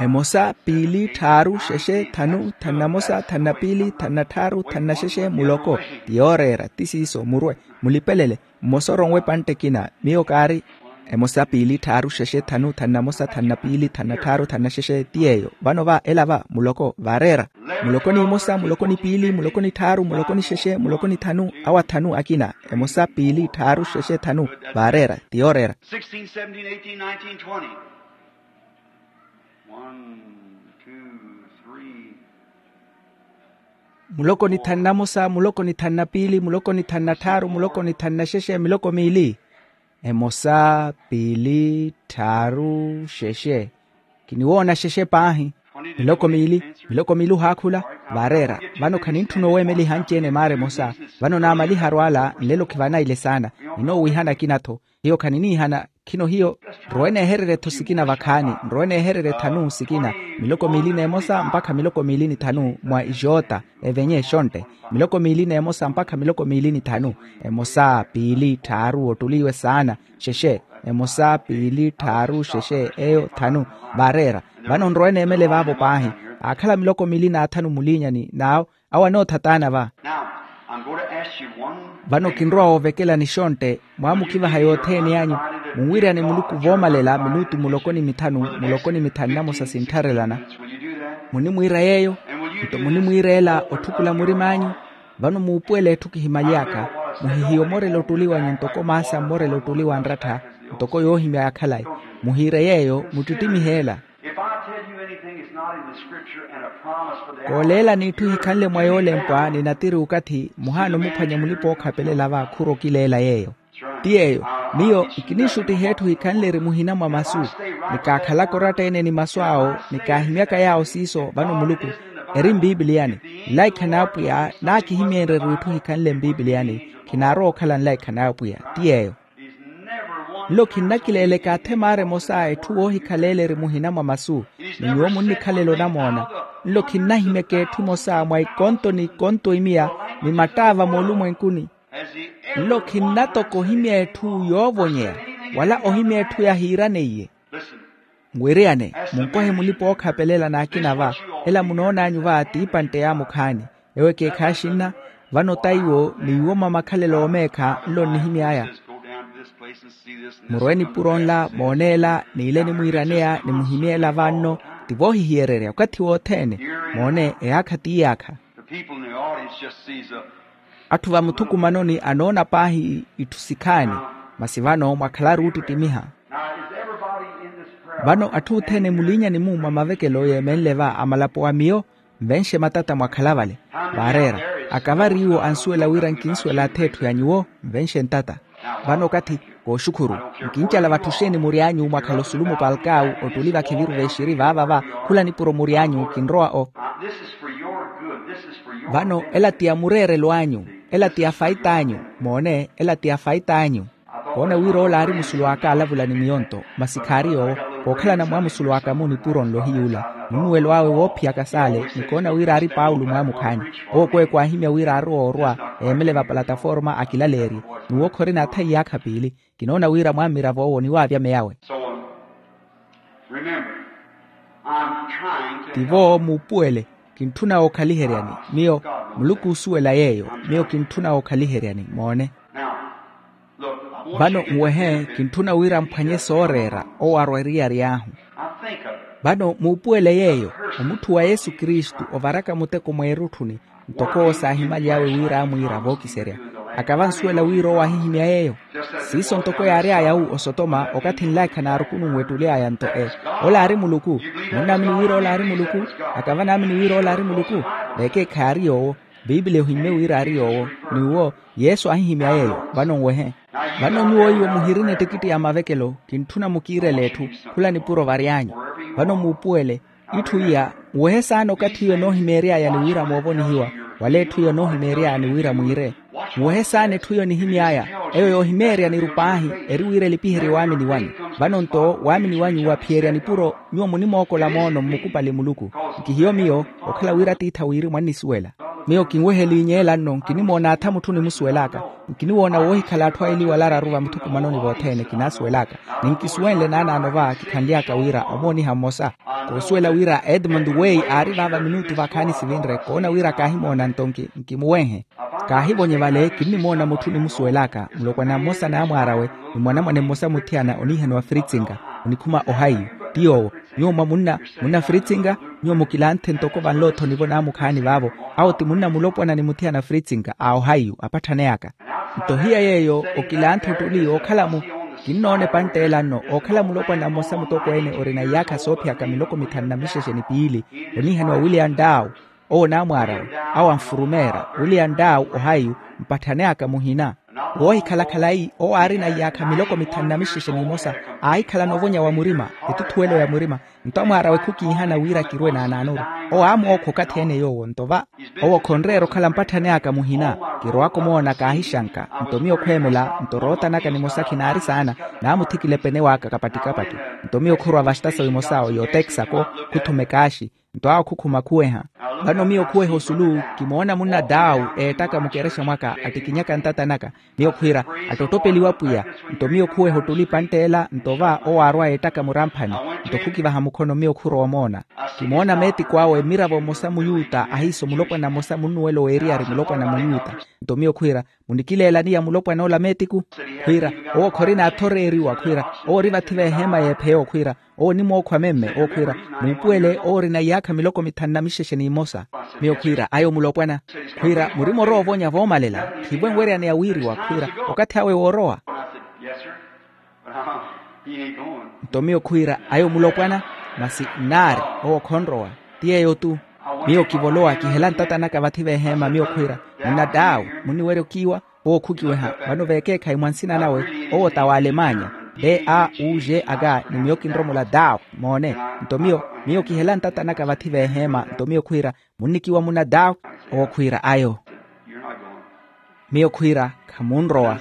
Emosa, piili, tthaaru, xexe, thanu, thanu na mosa, thanu na piili, thanu na tthaaru, thanu na xexe, muloko. Ti yooreera, ti siiso murwe, mulipelele. Mmosa oronwe epantte ekina. Miyo kaari. Emosa, piili, tthaaru, xexe, thanu, thanu na mosa, thanu na piili, thanu na tthaaru, thanu na xexe, ti yeeyo. Vano va ela va muloko vaareera. Muloko ni imosa, muloko ni piili, muloko ni tthaaru, muloko ni xexe, muloko ni thanu, awo athanu akina. Emosa, piili, tthaaru, xexe, thanu, vaareera. Ti yooreera. Sixteen, seventeen, eighteen, nineteen, twenty. One, two, three. Muloko ni thanu na mosa, muloko ni thanu na piili, muloko ni thanu na tthaaru, muloko ni thanu na xexe, miloko miili. Emosa, piili, tthaaru, xexe. Kiniwoona xexe paahi. Miloko miili. Miloko miili ohaakhula. Vaareera. Vano khanintthuna oweemeliha anci-ene maara emosa. Vano naamaliharu ala nlelo khivanaile saana. Ninoowiihana akina-tho. Hiyo khaniniihana. Khino hiyo. Nrowe neehererye-tho sikina vakhaani. Nrowe neehererye thanu sikina. Miloko miili n'emosa mpakha miloko miili ni thanu mwa ixoota. Evenye exontte. Miloko miili n'emosa mpakha miloko miili ni thanu. Emosa, piili, tthaaru, ottuli iwe saana. Xexe. Emosa, piili, tthaaru, xexe, eyo thanu. Vaareera. Vano nrowe neemele vaavo paahi. Aakhala miloko miili n'athanu muliinyani n'awo. Awo anootha taana va. Vano kinrowa woovekelani xontte. Mwaamukivaha yothene anyu. Munwiryane muluku voomalela minutu muloko ni mithanu, muloko ni mithanu na mosa sinttharelana. Munimwiira yeeyo. Nto munimwiira ela otthukula murim'anyu. Vano muupuwele etthu kihimaly'aka. Muhihiye omorela ottuli wanyu ntoko maasa mmorela ottuli wa nrattha. Ntoko yoohimya ya khalayi. Muhiire yeeyo muttittimihe ela. Kooleelani itthu hikhanle mwa yoolempwa ni natiri okathi muhaana omuphwanya mulipa-ookhapelela va khuro kileela yeeyo. Ti yeeyo. Miyo nkinixuttiha etthu hikhanle eri muhina mwa masu. Nikaakhalaka oratta-ene ni masu awo nikaahimyaka yaawo siiso vano muluku eri mpipiliyani. Nlaikha n'apwiya naakihimyeenreriwa itthu hikhanle mpipiliyani. Khinaarowa okhala nlaikha n'apwiya. Ti yeeyo. Nlo khinnakileeleka athe maara emosa etthu woohikhaleela eri muhina mwa masu. Ni nyuwo munnikhalela onamoona. Nlo khinnahimyaka etthu emosa mwa ikonto n'ikonto imiya ni mattaava moolumwenkuni. Nlo khinnatoka ohimya etthu yoovonyeya wala ohimya etthu yahiiraneiye. Nwiriyane munkohe mulipa-ookhapelela n'akina va. Ela munoon'anyu va t'ipantte y'amukhaani. Ewo ekeekhayi axinna. Vano taiwo n'iwo mwa makhalelo oomeekha nlo nnihimy'aya. Murwe nipuro nla mooneela n'ile nimwiiraneya nimuhimyeela vanno. Ti voohihiyererya okathi wothene. Moone eyaakha t'iyaakha. Atthu vamuthukumanoni anoona paahi itthu sikhaani. Masi vano mwakhalaru oottittimiha. Vano atthu othene muliinyani-mu mwa mavekelo yeemenle va amalapo a miyo. Nvenxe matata mwakhala vale. Vaareera. Akavari iwo ansuwela wira nkinsuwela atha etthu ya nyuwo. Nvenxe ntata. Vano okathi kooxukhuru. Nkincala vatthu xeeni mury'anyu mwakhala osulu mupalkawu ottuli vakhiviru vexiri vaava va. Khula nipuro mury'anyu kinrowa o. Vano ela ti ya mureerelo anyu. Ela ti ya fait'anyu. Moone ela ti ya fait'anyu. Koona wira ola aari musulu aka alavula ni miyo nto. Masi khaari yoowo. Kookhalana mwa musulu aka-mu nipuro nlo hiy'ula. Munnuwelo awe woophiyaka saale. Ni koona wira aari paulo mwaamukhaani. Owo kweeku aahimya wira aari oorwa eemele vapalataforma akilaleerye. N'uwo khorina atha iyaakha piili. Kinoona wira mwammiravo owo niwaavya meyawe. Tivo muupuwele. Kintthuna wookhaliheryani. Miyo muluku oosuwela yeeyo. Miyo kintthuna wookhaliheryani moone. Vano nwehe kintthuna wira mphwanye sooreera owo arwa eriyari ahu. Vano muupuwele yeeyo, omutthu wa yesu kristu ovaraka muteko mweerutthuni, ntoko owo saahimaly'awe wira amwiira vookiserya. Akava ansuwela wira owo ahihimya yeeyo. Siiso ntoko yaary'aya wu osotoma okathi nlaikha naarukununwe ettuly'aya nto e, ola aari muluku. Munnaamini wira ola aari muluku? Akava naamini wira ola aari muluku. Vekeekhayi aari yoowo. Piipiliya ohimmye wira aari yoowo. Ni uwo yesu aahihimya yeeyo. Vano nwehe. Vano nyuwo iwo muhirina ettikitti ya mavekelo kintthuna mukiirele etthu. Khula nipuro vary'anyu. Vano muupuwele. Itthu iya nwehe saana okathi iyo enoohimeery'aya ni wira moovonihiwa. Wala etthu iyo enoohimeery'aya ni wira mwiire. Nwehe saana etthu iyo enihimy'aya. Eyo yoohimeerya niru paahi. Eri wira elipiherye waamini wanyu. Vano nto waamini wanyu waphiyerya nipuro. Nyuwo munimookola moono mmukupali muluku. Nkihiyo miyo okhala wira atiithi awiiri mwannisuwela. Miyo kinweheliinyeela nno nkinimoona atha mutthu onimusuwel'aka. Nkiniwoona woohikhala atthu aili wala araru vamuthukumanoni vothene kinaasuwel'aka. Ni nkisuwenle naanaano va kikhanly'aka wira omooniha mmosa. Koosuwela wira edmund weyi aari vaava minutu vakhaani sivinre koona wira kaahimoona nto nki nkimuwenhe. Kaahivonye vale kinnimoona mutthu onimusuwel'aka mulopwana mmosa n'amwaar'awe. Ni mwanamwane mmosa muthiyana oniihaniwa fritsinga. Onikhuma ohaiyu. Ti yoowo. Nyuwo mwa munna munna fritsinga. Nyuwo mukilanthe ntoko vanloothonivo naamukhaani vaavo. Awo ti munna mulopwana ni muthiyana fritsinga a ohaiyu apatthaneyaka. Nto hiya yeeyo okilanthe ottuli ookhala mu kinnoona epantt'ela nno ookhala mulopwana mmosa mutokweene orina iyaakha soophiyaka miloko mithanu na mixexe ni piili. Oniihaniwa willian daw. Owo naamwaarawe. Awo anfurumeerya willian daw ohaiyu. Mpatthaneyaka muhina. Woohikhala khalayi owo aarina iyaakha miloko mithanu na mixexe n'imosa. Aahikhala novonya wa murima. Etuthuwelo ya murima. Nto amwaarawe khukiihana wira kirwe naanaanoru. Owo aamookha okathi ene yoowo nto va. Owo khonreera okhala mpatthaneyaka muhina. Kirowaka omoona kaahixanka. Nto miyo khweemela nto rootanaka nimosa khinaari saana. Naamuthikila epene waka kapattikapatti. Nto miyo khurwa vastasa wimosa oyo texaco. Khuthuma ekaaxi. Nto awo khukhuma khuweha. Vano miyo khuweha osulu. Kimoona munna daw eettaka mukerexa mwaka attikinyaka ntata naka. Miyo khwiira, attottopeliwa pwiya. Nto miyo khuweha ottuli pantt'ela nto va owo aarwa eettaka muramphani. Nto khukivaha mukhono miyo khurowa omoona. Kimoona meetiku awe mmiravo mmosa muyuta ahiiso mulopwana mmosa munnuwelo w'eriyari mulopwana muyuta. Nto miyo khwiira, munikileelani ya mulopwan'ola meetiku? Khwiira, owo khorina athoreeriwa khwiira, owo ori vathi v'eheema y'epheyo khwiira, owo onimookhwa memme owo khwiira, muupuwele owo orina iyaakha miloko mithanu na mixexe n'imosa. Miyo khwiira ayo mulopwana. Khwiira murima orowa ovonya voomalela. Khivo enweryaneya wiiriwa khwiira, okathi awe woorowa. Nto miyo khwiira ayo mulopwana. Masi nnaari, owo khonrowa. Ti yeeyo-tu. Miyo kivolowa kihela ntata naka vathi v'eheema miyo khwiira, munna daw, munniwerya okiiwa? Owo khukiweha. Vano veekeekhayi mwa nsina nawe, owo ta w'alemanya. D a u g aga ni miyo kinromola daw. Moone. Nto miyo miyo kihela ntata naka vathi v'eheema nto miyo khwiira, munnikiwa munna daw? Owo khwiira ayo. Miyo khwiira, khamunrowa.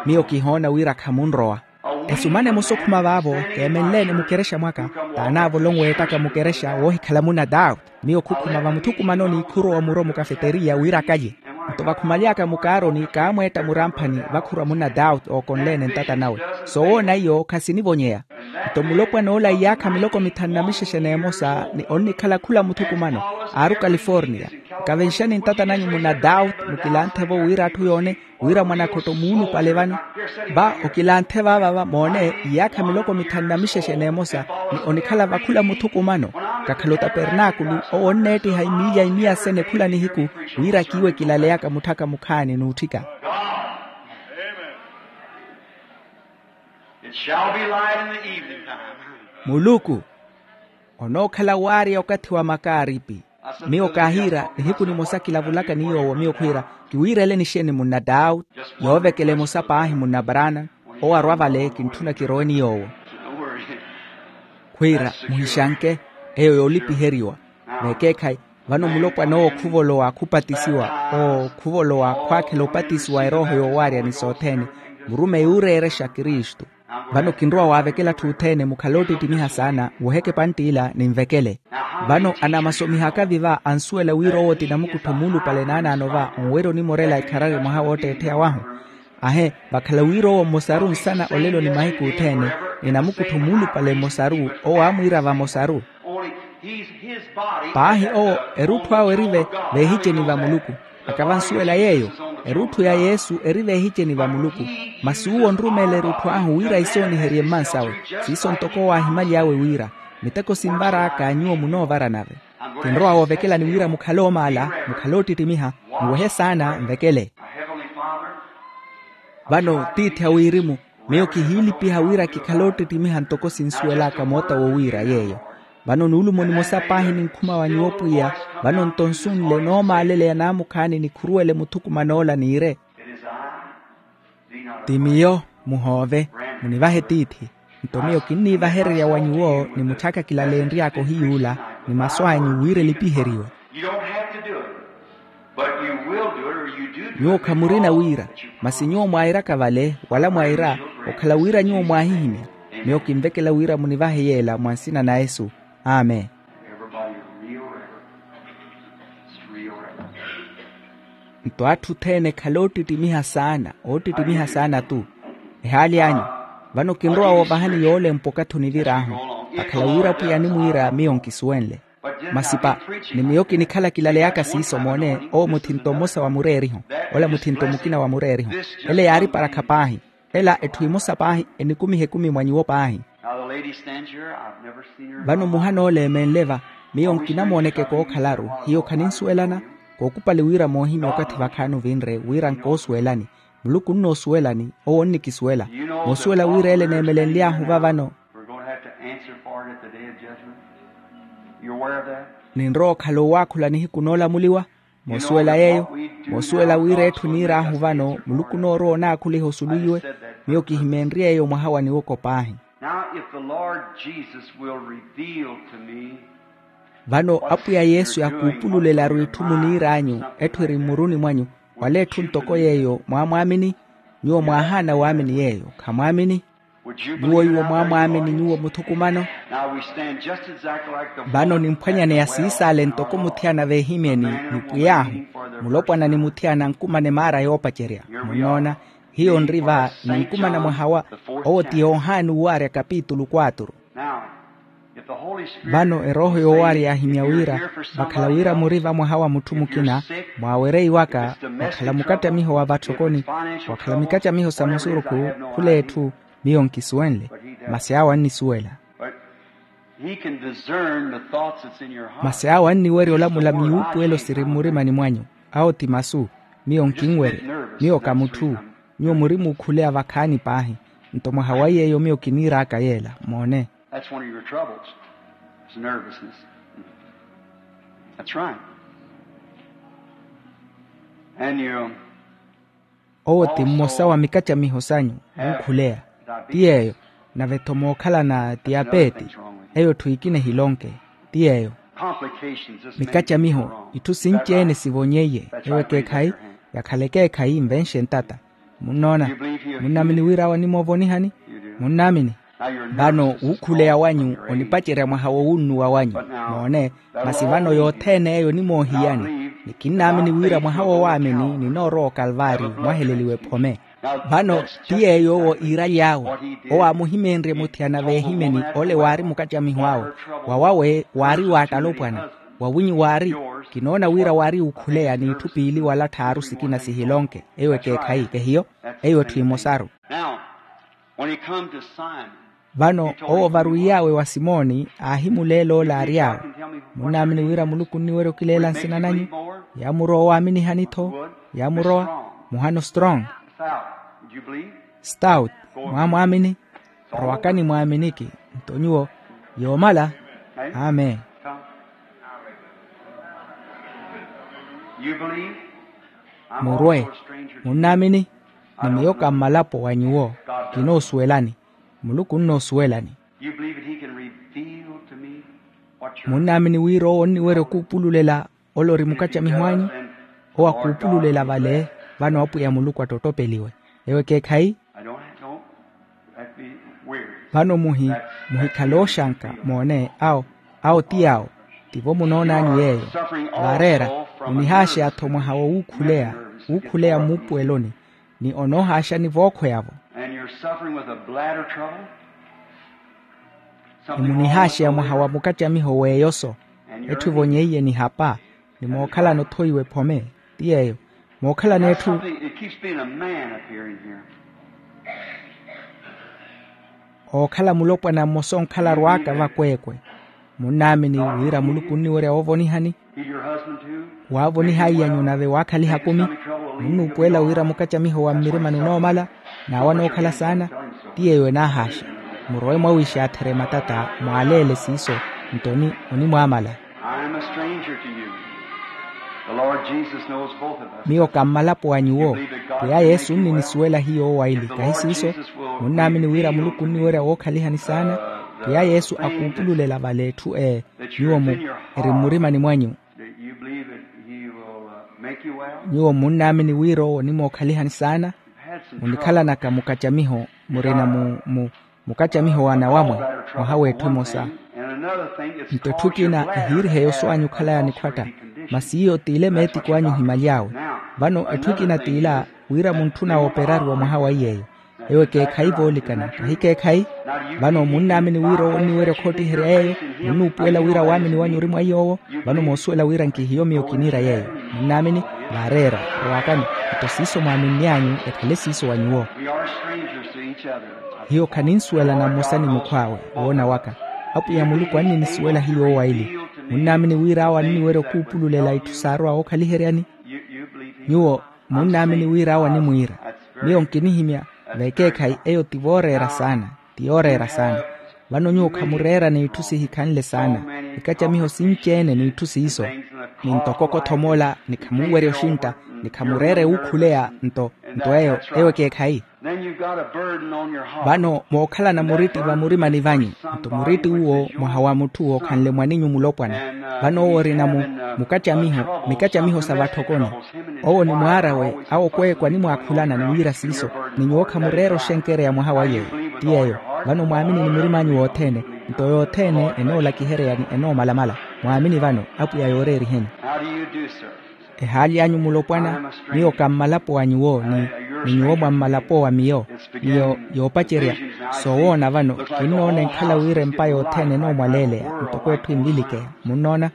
Miyo kihoona wira khamunrowa. Esumana emosa okhuma vaavo, keemenleene mukerexa mwaka. Taanaavolowa weettaka mukerexa woohikhala munna daw. Miyo khukhuma vamuthukumanoni khurowa muro mukafeteriya wira akalye. Nto vakhumaly'aka mukaaroni kaamweetta muramphani, vakhurwa munna daw ookonleene ntata nawe. Soowoona iyo khasinivonyeya. Nto mulopwan'ola iyaakha miloko mithanu na mixexe n'emosa ni onnikhala khula muthukumano. Aaru kaliforniya. Nkavenxani ntata nanyu munna daw. Mukilanthe-vo wira atthu yoone wira mwanakhotto muulupale vano. Va okilanthe vaavava moone, iyaakha miloko mithanu na mixexe n'emosa ni onikhala vakhula muthukumano. Kakhala otapernaakulu owo onneettiha imiilya imiyasene khula nihiku, wira kiiwe kilaleyaka mutthaka mukhaani n'utthika. It shall be light in the evening time. Muluku onookhala waarya okathi wa makaaripi. Miyo kaahiira nihiku nimosa kilavulaka ni yoowo miyo khwiira, kiwiirele nixeeni munna daw? Yoovekela emosa paahi munna brana. Owo arwa vale kintthuna kirowe ni yoowo. Khwiira, muhixanke. Eyo yoolipiheriwa. Veekeekhayi, vano mulopwana owo khuvolowa khupatisiwa. Oo khuvolowa khwaakhela opatisiwa erooho yoowaarya ni sothene. Murumeyi ooreerexa kristu. Vano kinrowa waavekela atthu othene mukhale oottittimiha saana. Woheke pantt'ila ninvekele. Vano anamasomiha akavi va ansuwela wira owo ti namukuttho muulupale naanaano va onwerya onimorela ekharari mwaha wootteettheya wahu. Ahe, vakhala wira owo mmosaru nsana olelo ni mahiku othene, ni namukuttho muulupale mmosaru owo aamwiira vamosaru. Paahi owo erutthu awe eri ve veehiceni va muluku. Akavansuwela yeeyo. Erutthu ya yesu eri vehiceni va muluku. Masi uwo onrumeela erutthu ahu wira isooniherye mmansawe. Siiso ntoko owo aahimaly'awe wira, miteko sinvar'aka nyuwo munoovara nave. Kinrowa woovekelani wira mukhale oomaala, mukhale oottittimiha, muwehe saana nvekele. Vano tiithi a wirimu, miyo kihiilipiha wira kikhale oottittimiha ntoko sinsuwel'aka moota wowiira yeeyo. Vano nuulumo nimosa paahi ninkhuma wa nyuwo pwiya. Vano nto nsunle noomaaleleya naamukhaani nikhuruwele muthukuman'ola niire. Ti miyo, muhoove, munivahe tiithi. Nto miyo kinniivahererya wa nyuwo ni mutthyaka kilaleenry'aka ohiyuula, ni masu anyu wira elipiheriwe. Nyuwo khamurina wira, masi nyuwo mwairaka vale wala mwaira, okhala wira nyuwo mwaahihimya. Miyo kinvekela wira munivahe yeela mwa nsina na yesu. Amen. Nto atthu othene ekhale oottittimiha saana, oottittimiha saana-tu. Ehaali anyu. Vano kinrowa woovahani yoolempwa okathi onivir'ahu. Akhala wira pwiya animwiira miyo nkisuwenle. Masi pa, ni miyo kinikhala kilaleyaka siiso moone. Owo muthinto mmosa wa mureeriho, ola muthinto mukina wa mureeriho. Ele yaari parakha paahi. Ela etthu emosa paahi enikumiha ekumi mwa nyuwo paahi. Vano muhana ole emenle va, miyo nkinamooneke kookhalaru. Hiyo khaninsuwelana. Kookupali wira moohimya okathi vakhaani ovinre wira nkoosuwelani. Muluku onnoosuwelani. Owo onnikisuwela. Moosuwela wira ele neemelenly'ahu va vano. Ninrowa okhala owaakhula nihiku noolamuliwa. Moosuwela yeeyo. Moosuwela wira etthu niir'ahu vano muluku onoorowa onaakhuliha osulu iwe. Miyo kihimenrye eyo mwaha wa niwoko paahi. Now if the Lord Jesus will reveal to me. Vano apwiya yesu yakuupululelaru itthu muniir'anyu, etthu eri mmuruni mwanyu, wala etthu ntoko yeeyo mwaamwaamini. Nyuwo mwaahaana waamini yeeyo khamwaamini. Nyuwo iwo mwaamwaamini nyuwo muthukumano. Vano nimphwanyaneya siisaale ntoko muthiyana veehimyeni, ni pwiy'ahu, mulopwana ni muthiyana ankumane maara yoopacerya. Munnoona, hiyo nri va, ninkumana mwaha wa, owo ti yohani owaarya kapitulu quatro. Vano erooho yoowaari yaahimya wira, vakhala wira muri va mwaha wa mutthu mukina, mwaawereiwaka, mwakhala mukattamiho wa vatthokoni, mwakhala mikacamiho sa musurukhu, khul'etthu, miyo nkisuwenle. Masi awo annisuwela. Masi awo anniwerya olamula miyuupuwelo siri mmurimani mwanyu. Awo ti masu. Miyo nkinwerya. Miyo ka mutthu. Nyuwo muri muukhuleya vakhaani paahi. Nto mwaha wa yeeyo miyo kiniir'aka yeela moone. That's one of your troubles. It's nervousness. That's right. And you owo ti mmosa wa mikacamiho sanyu. Muukhuleya. Ti yeeyo. Nave-tho mookhalana tiyapeeti. Eyo etthu ekina ehilonke. Ti yeeyo. Mikacamiho itthu sinci-ene sivonyeiye. Eyo ekeekhayi. Yakhala ekeekhayi nvenxe ntata. Munnoona. Munnaamini wira awo animoovonihani? Munnaamini. Vano wuukhuleya wanyu onipacerya mwaha wowunnuwa wanyu. Moone. Masi vano yothene eyo onimoohiyani. Ni kinnaamini wira mwaha wowaamini ninoorowa okalvaari mwaheleliwe phome. Vano ti yeeyo owo iiraly'awe. Owo aamuhimenrye muthiyana veehimeni ole waari mukacamiho awe. Wawawe waari waattalopwana. Wawinyu waari. Kinoona wira waari wuukhuleya n'itthu piili wala tthaaru sikina sihilonke. Eyo ekeekhayi kehiyo. Eyo etthu emosaru. Vano owo varwiy'awe wa simoni aahimuleela ole aary'awe. Munnaamini wira muluku onniwerya okileela nsina nanyu? Yaamurowa owaaminihani-tho. Yaamurowa. Muhano strong. Stout. Mwaamwaamini. Rowakani mwaaminiki. Nto nyuwo. Yoomala. Amen. Murwe. Munnaamini? Ni miyo ka mmalapo wa nyuwo. Kinoosuwelani. Muluku onnoosuwelani. Munnaamini wira owo onniwerya okuupululela ole ori mukacamiho anyu? Owo akuupululela vale. Vano apwiya muluku attottopeliwe. Ewo ekeekhayi. Vano muhi muhikhale ooxanka moone awo. Awo ti awo. Tivo munoon'anyu yeeyo. Vaareera. Munihaaxeya-tho mwaha wowuukhuleya. Wuukhuleya mmuupuweloni. Ni onoohaaxani vookhweya-vo. Ni munihaaxeya mwaha wa mukacamiho w'eyoso. Etthu evonyeiye nihapa. Ni mookhalana othoi w'ephome. Ti yeeyo. Mookhalana etthu. Something, it keeps being a man appearing here. Ookhala mulopwana mmosa onkhala arwaaka vakweekwe. Munnaamini wira muluku onniwerya woovonihani. Waavoniha iyanyu nave waakhaliha kumi. Munnuupuwela wira mukacamiho wa mmirimani onoomala, n'awo anookhala saana. Ti yeeyo enaahaaxa. Murowe mwawiixaatherye matata mwaaleele siiso. Nto onimwaamala. I am a stranger to you. The Lord Jesus knows both of us. Miyo kammalapo wa nyuwo. Pwiya yesu nnisuwela hiyo owaili kahi siiso. Munnaamini wira muluku onniwerya wookhalihani saana. Pwiya yesu akuupululela vale etthu ee. Nyuwo mu eri mmurimani mwanyu. Nyuwo munnaamini wira owo onimookhalihani saana. Munikhalanaka mukacamiho murina mu mukacamiho wa nawamwe. Mwaha w'etthu emosa. Nto etthu ekina ehiirihe yoso anyu okhalaya nikhwatta. Masi iyo t'ile meetiku anyu ohimaly'awe. Vano etthu ekina t'ila wira muntthuna wooperariwa mwaha wa iy'eyo. Eyo ekeekhayi voolikana kahi keekhayi. Vano munnaamini wira owo onniwerya okhoottiherya yeeyo. Munnuupuwela wira waamini wanyu ori mwa iy'owo. Vano moosuwela wira nkihiyo miyo kiniira yeeyo. Munnaamini? Vaareera. Rowakani. Nto siiso mwaaminny'anyu ekhale siiso wa nyuwo. Hiyo khaninsuwelana mmosa ni mukhw'awe. Woona waka, apwiya muluku anninisuwela hiyo owaili. Munnaamini wira awo anniwerya okuupululela itthu saarowa wookhaliheryani? Nyuwo munnaamini wira awo animwiira. Miyo nkinihimya. Vekeekhayi eyo ti vooreera saana. Ti yooreera saana. Vano nyuwo khamureera n'itthu sihikhanle saana. Ikacamiho sinci-ene n'itthu siiso. Ni ntoko kothomoola ni khamunwerya oxintta. Ni khamureere wuukhuleya nto nto eyo eyo ekeekhayi. Vano mookhalana muritti vamurimani vanyu. Nto muritti uwo mwaha wa mutthu wookhanle mwaninyu mulopwana. Vano owo orina mu mukacamiho mikacamiho sa vatthokoni. Owo ni mwaar'awe awo kweekwa animwaakhulana ni wiira siiso. Ni nyuwo khamureera oxenkereya mwaha wa yeeyo. Ti yeeyo. Vano mwaamini ni murim'anyu wothene. Nto yothene enoolakihereyani enoomalamala. Mwaamini vano apwiya yooreeriheni. Ehaali anyu mulopwana. Miyo kammalapo wa nyuwo ni nyuwo mwammalapo wa miyo. Miyo yoopacerya. Soowoona vano kinnoona enkhala wira empa yothene enoomwaleeleya ntoko etthu envilikeya. Munnoona?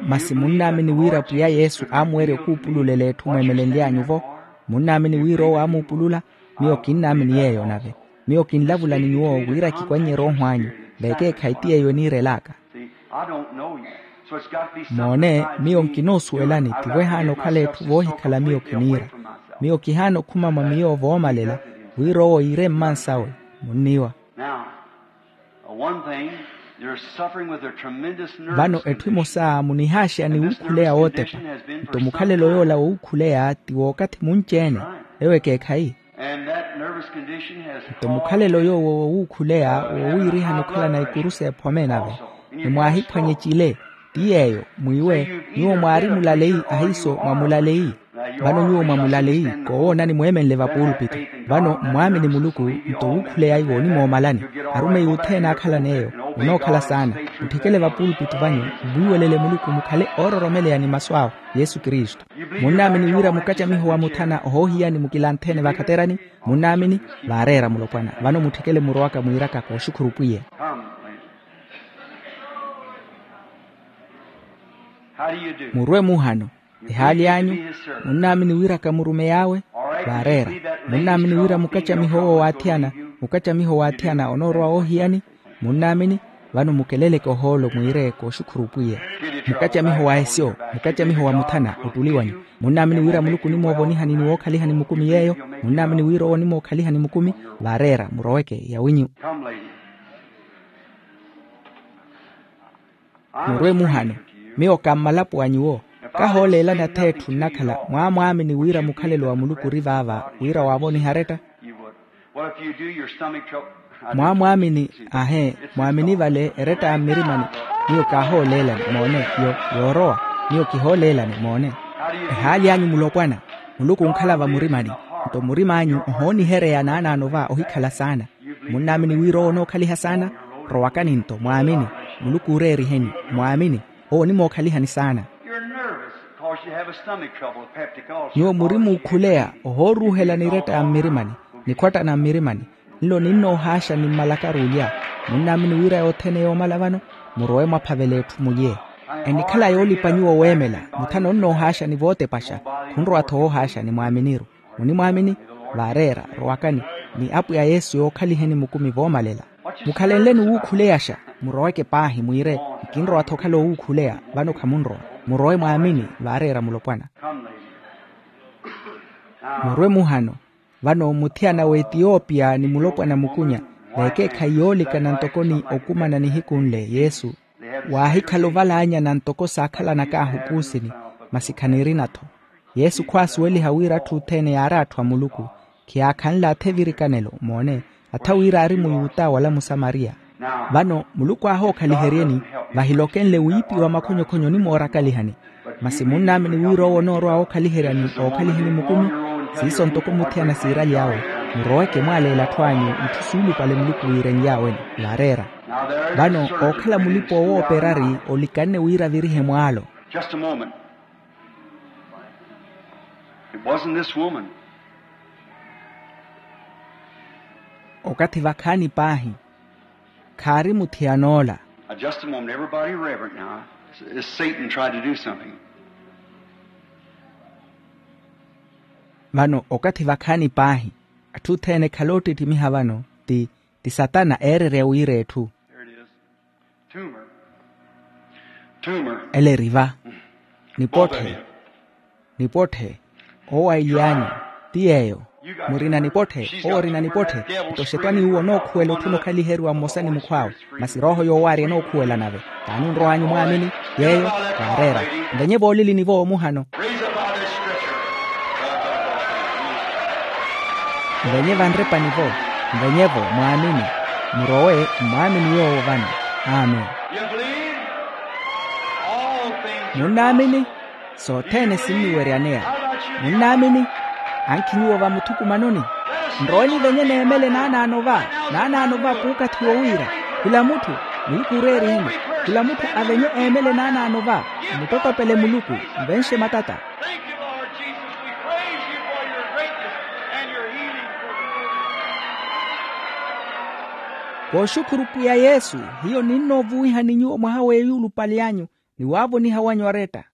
Masi munnaamini wira pwiya yesu aamuwerya okuupululela etthu mweemelenly'anyu-vo? Munnaamini wira owo aamuupulula? Miyo kinnaamini yeeyo nave. Miyo kinlavula ni nyuwo wira kikwannyerye oohw'anyu. Vekeekhayi ti yeeyo eniirel'aka. Moone, miyo nkinoosuwelani tivo ehaana okhala etthu voohikhala miyo kiniira. Miyo kihaana okhuma mwa miyo voomalela wira owo iire mmansawe. Munniiwa. Vano etthu emosa munihaaxeya ni wuukhuleya wootepa. Nto mukhalelo yoola woowuukhuleya ti wookathi munci-ene. Ewo ekeekhayi. Nto mukhalelo yoowo woowuukhuleya woowiirihani okhalana ikuru s'ephome nave. Ni mwaahiphwanye cile. Ti yeeyo mwiiwe nyuwo mwaari mulaleyi ahiiso mwa mulaleyi. Vano nyuwo mwa mulaleyi koowoonani mweemenle vapuulupittu. Vano mmwaamini muluku. Nto wuukhuleya iwo onimoomalani. Arumeyi othene aakhalan'eyo onookhala saana. Mutthikele vapuulupittu vanyu mmwiiwelele muluku mukhale oororomeleya ni masu awe. Yesu kristu. Munnaamini wira mukacamiho wa muthana ohoohiyani mukilanthene vakhaterani? Munnaamini? Vaareera mulopwana vano mutthikele murowaka mwiiraka kooxukhuru pwiya. Murwe muhano. Ehaali anyu. Munnaamini wira kamurumey'awe? Vaareera. Munnaamini wira mukacamiho owo waathiyana mukacamiho waathiyana onoorowa woohiyani? Munnaamini? Vano mukeleleke ohoolo mwiire kooxukhuru pwiya. Mukacamiho wa esyo. Mukacamiho wa muthana ottuli wanyu. Munnaamini wira muluku onimoovonihani ni wookhalihani mukumi yeeyo? Munnaamini wira owo onimookhalihani mukumi? Vaareera muroweke yawinyu. Murwe muhano. Miyo kammalapo wa nyuwo. Kahooleelani atheetthu nnakhala mwaamwaamini wira mukhalelo wa muluku ori vaava wira waavoniha aretta. Mwaamwaamini. Ahe. Mwaamini vale eretta ya mmirimani. Miyo kaahooleelani moone. Yoorowa. Miyo kihooleelani moone. Ehaali anyu mulopwana. Muluku onkhala vamurimani. Nto murim'anyu ohoonihereya naanaano va ohikhala saana. Munnaamini wira owo onookhaliha saana? Rowakani nto mwaamini. Muluku ooreeriheni. Mwaamini. Owo onimookhaliha ni saana. Nyuwo muri muukhuleya ohooruuhela ni eretta ya mmirimani. Nikhwatta na mmirimani. Nlo ninnoohaaxa ni mmalakaru olya. Munnaamini wira yothene yoomala vano? Murowe mwaphavele etthu mulye. Enikhala yoolipa nyuwo weemela. Muthana onnoohaaxa ni vootepaxa. Munrowa-tho woohaaxa ni mwaaminiru. Munimwaamini? Vaareera rowakani, ni apwiya yesu yookhaliheni mukumi voomalela. Mukhalenleni wuukhuleyaxa. Muroweke paahi mwiire, nkinrowa-tho okhala owuukhuleya. Vano khamunrowa. Murowe mwaamini. Vaareera mulopwana. Murwe muhano. Vano muthiyana w'etiyopiya ni mulopwana mukunya, veekeekhayi yoolikana ntoko ni okumana nihiku nle yesu. Waahikhala ovalaanyana ntoko saakhalanakaahu puusini. Masi khanirina-tho. Yesu khwaasuweliha wira atthu othene yaari atthu a muluku. Khiyaakhanle atha evirikanelo moone, atha wira aari muyuta wala musamariya. Vano muluku aahookhaliherieni. Vahilokenle wiipi wa makhonyokhonyo onimoorakalihani. Masi munnaamini wira owo onoorowa wookhaliheryani ookhaliheni mukumi. Siiso ntoko muthiyana siiraly'awe. Muroweke mwaaleele atthu anyu itthu suulupale muluku wiirenly'aweni. Vaareera. Vano ookhala mulipa owooperari olikanne wira avirihe mwaalo. Just a moment. It wasn't this woman. Okathi vakhaani paahi. Khaari muthiyan'ola. Now, just a moment. Everybody reverent now. Is satan tried to do something? Vano okathi vakhaani paahi. Atthu othene khaloottittimiha vano ti ti satana eererya wiira etthu. There it is. Tumor. Tumor. Ele eri va. Nipotthe. Nipotthe. Owo ailyaanyu. Ti yeeyo. Murina nipotthe. Owo orina nipotthe. Nto xetwani uwo onookhuwela otthuna okhaliheriwa mmosa ni mukhw'awe. Masi rooho yoowaarya enookhuwela nave. Taani onrow'anyu mwaamini. Yeeyo. Waareera. Nvenye voolilini-vo muhano. Nvenye vanrepani-vo. Nvenye-vo mwaamini. Murowe mmwaamini yoowo vano. Amen. Munnaamini? Sothene sinniweryaneya. Munnaamini? Ankhi nyuwo vamuthukumanoni. Nroweni venye neemele naanaano va. Naanaano va puukathi wowiira. Khula mutthu. Muluku ooreeriheni. Khula mutthu avenye eemele naanaano va. Mmutottopele muluku. Nvenxe matata. Thank you, Lord Jesus. We praise you for your greatness and your healing for the world. Kooxukhuru pwiya yesu. Hiyo ninnoovuwihani nyuwo mwaha w'eyuulupale anyu ni waavoniha wanyu aretta.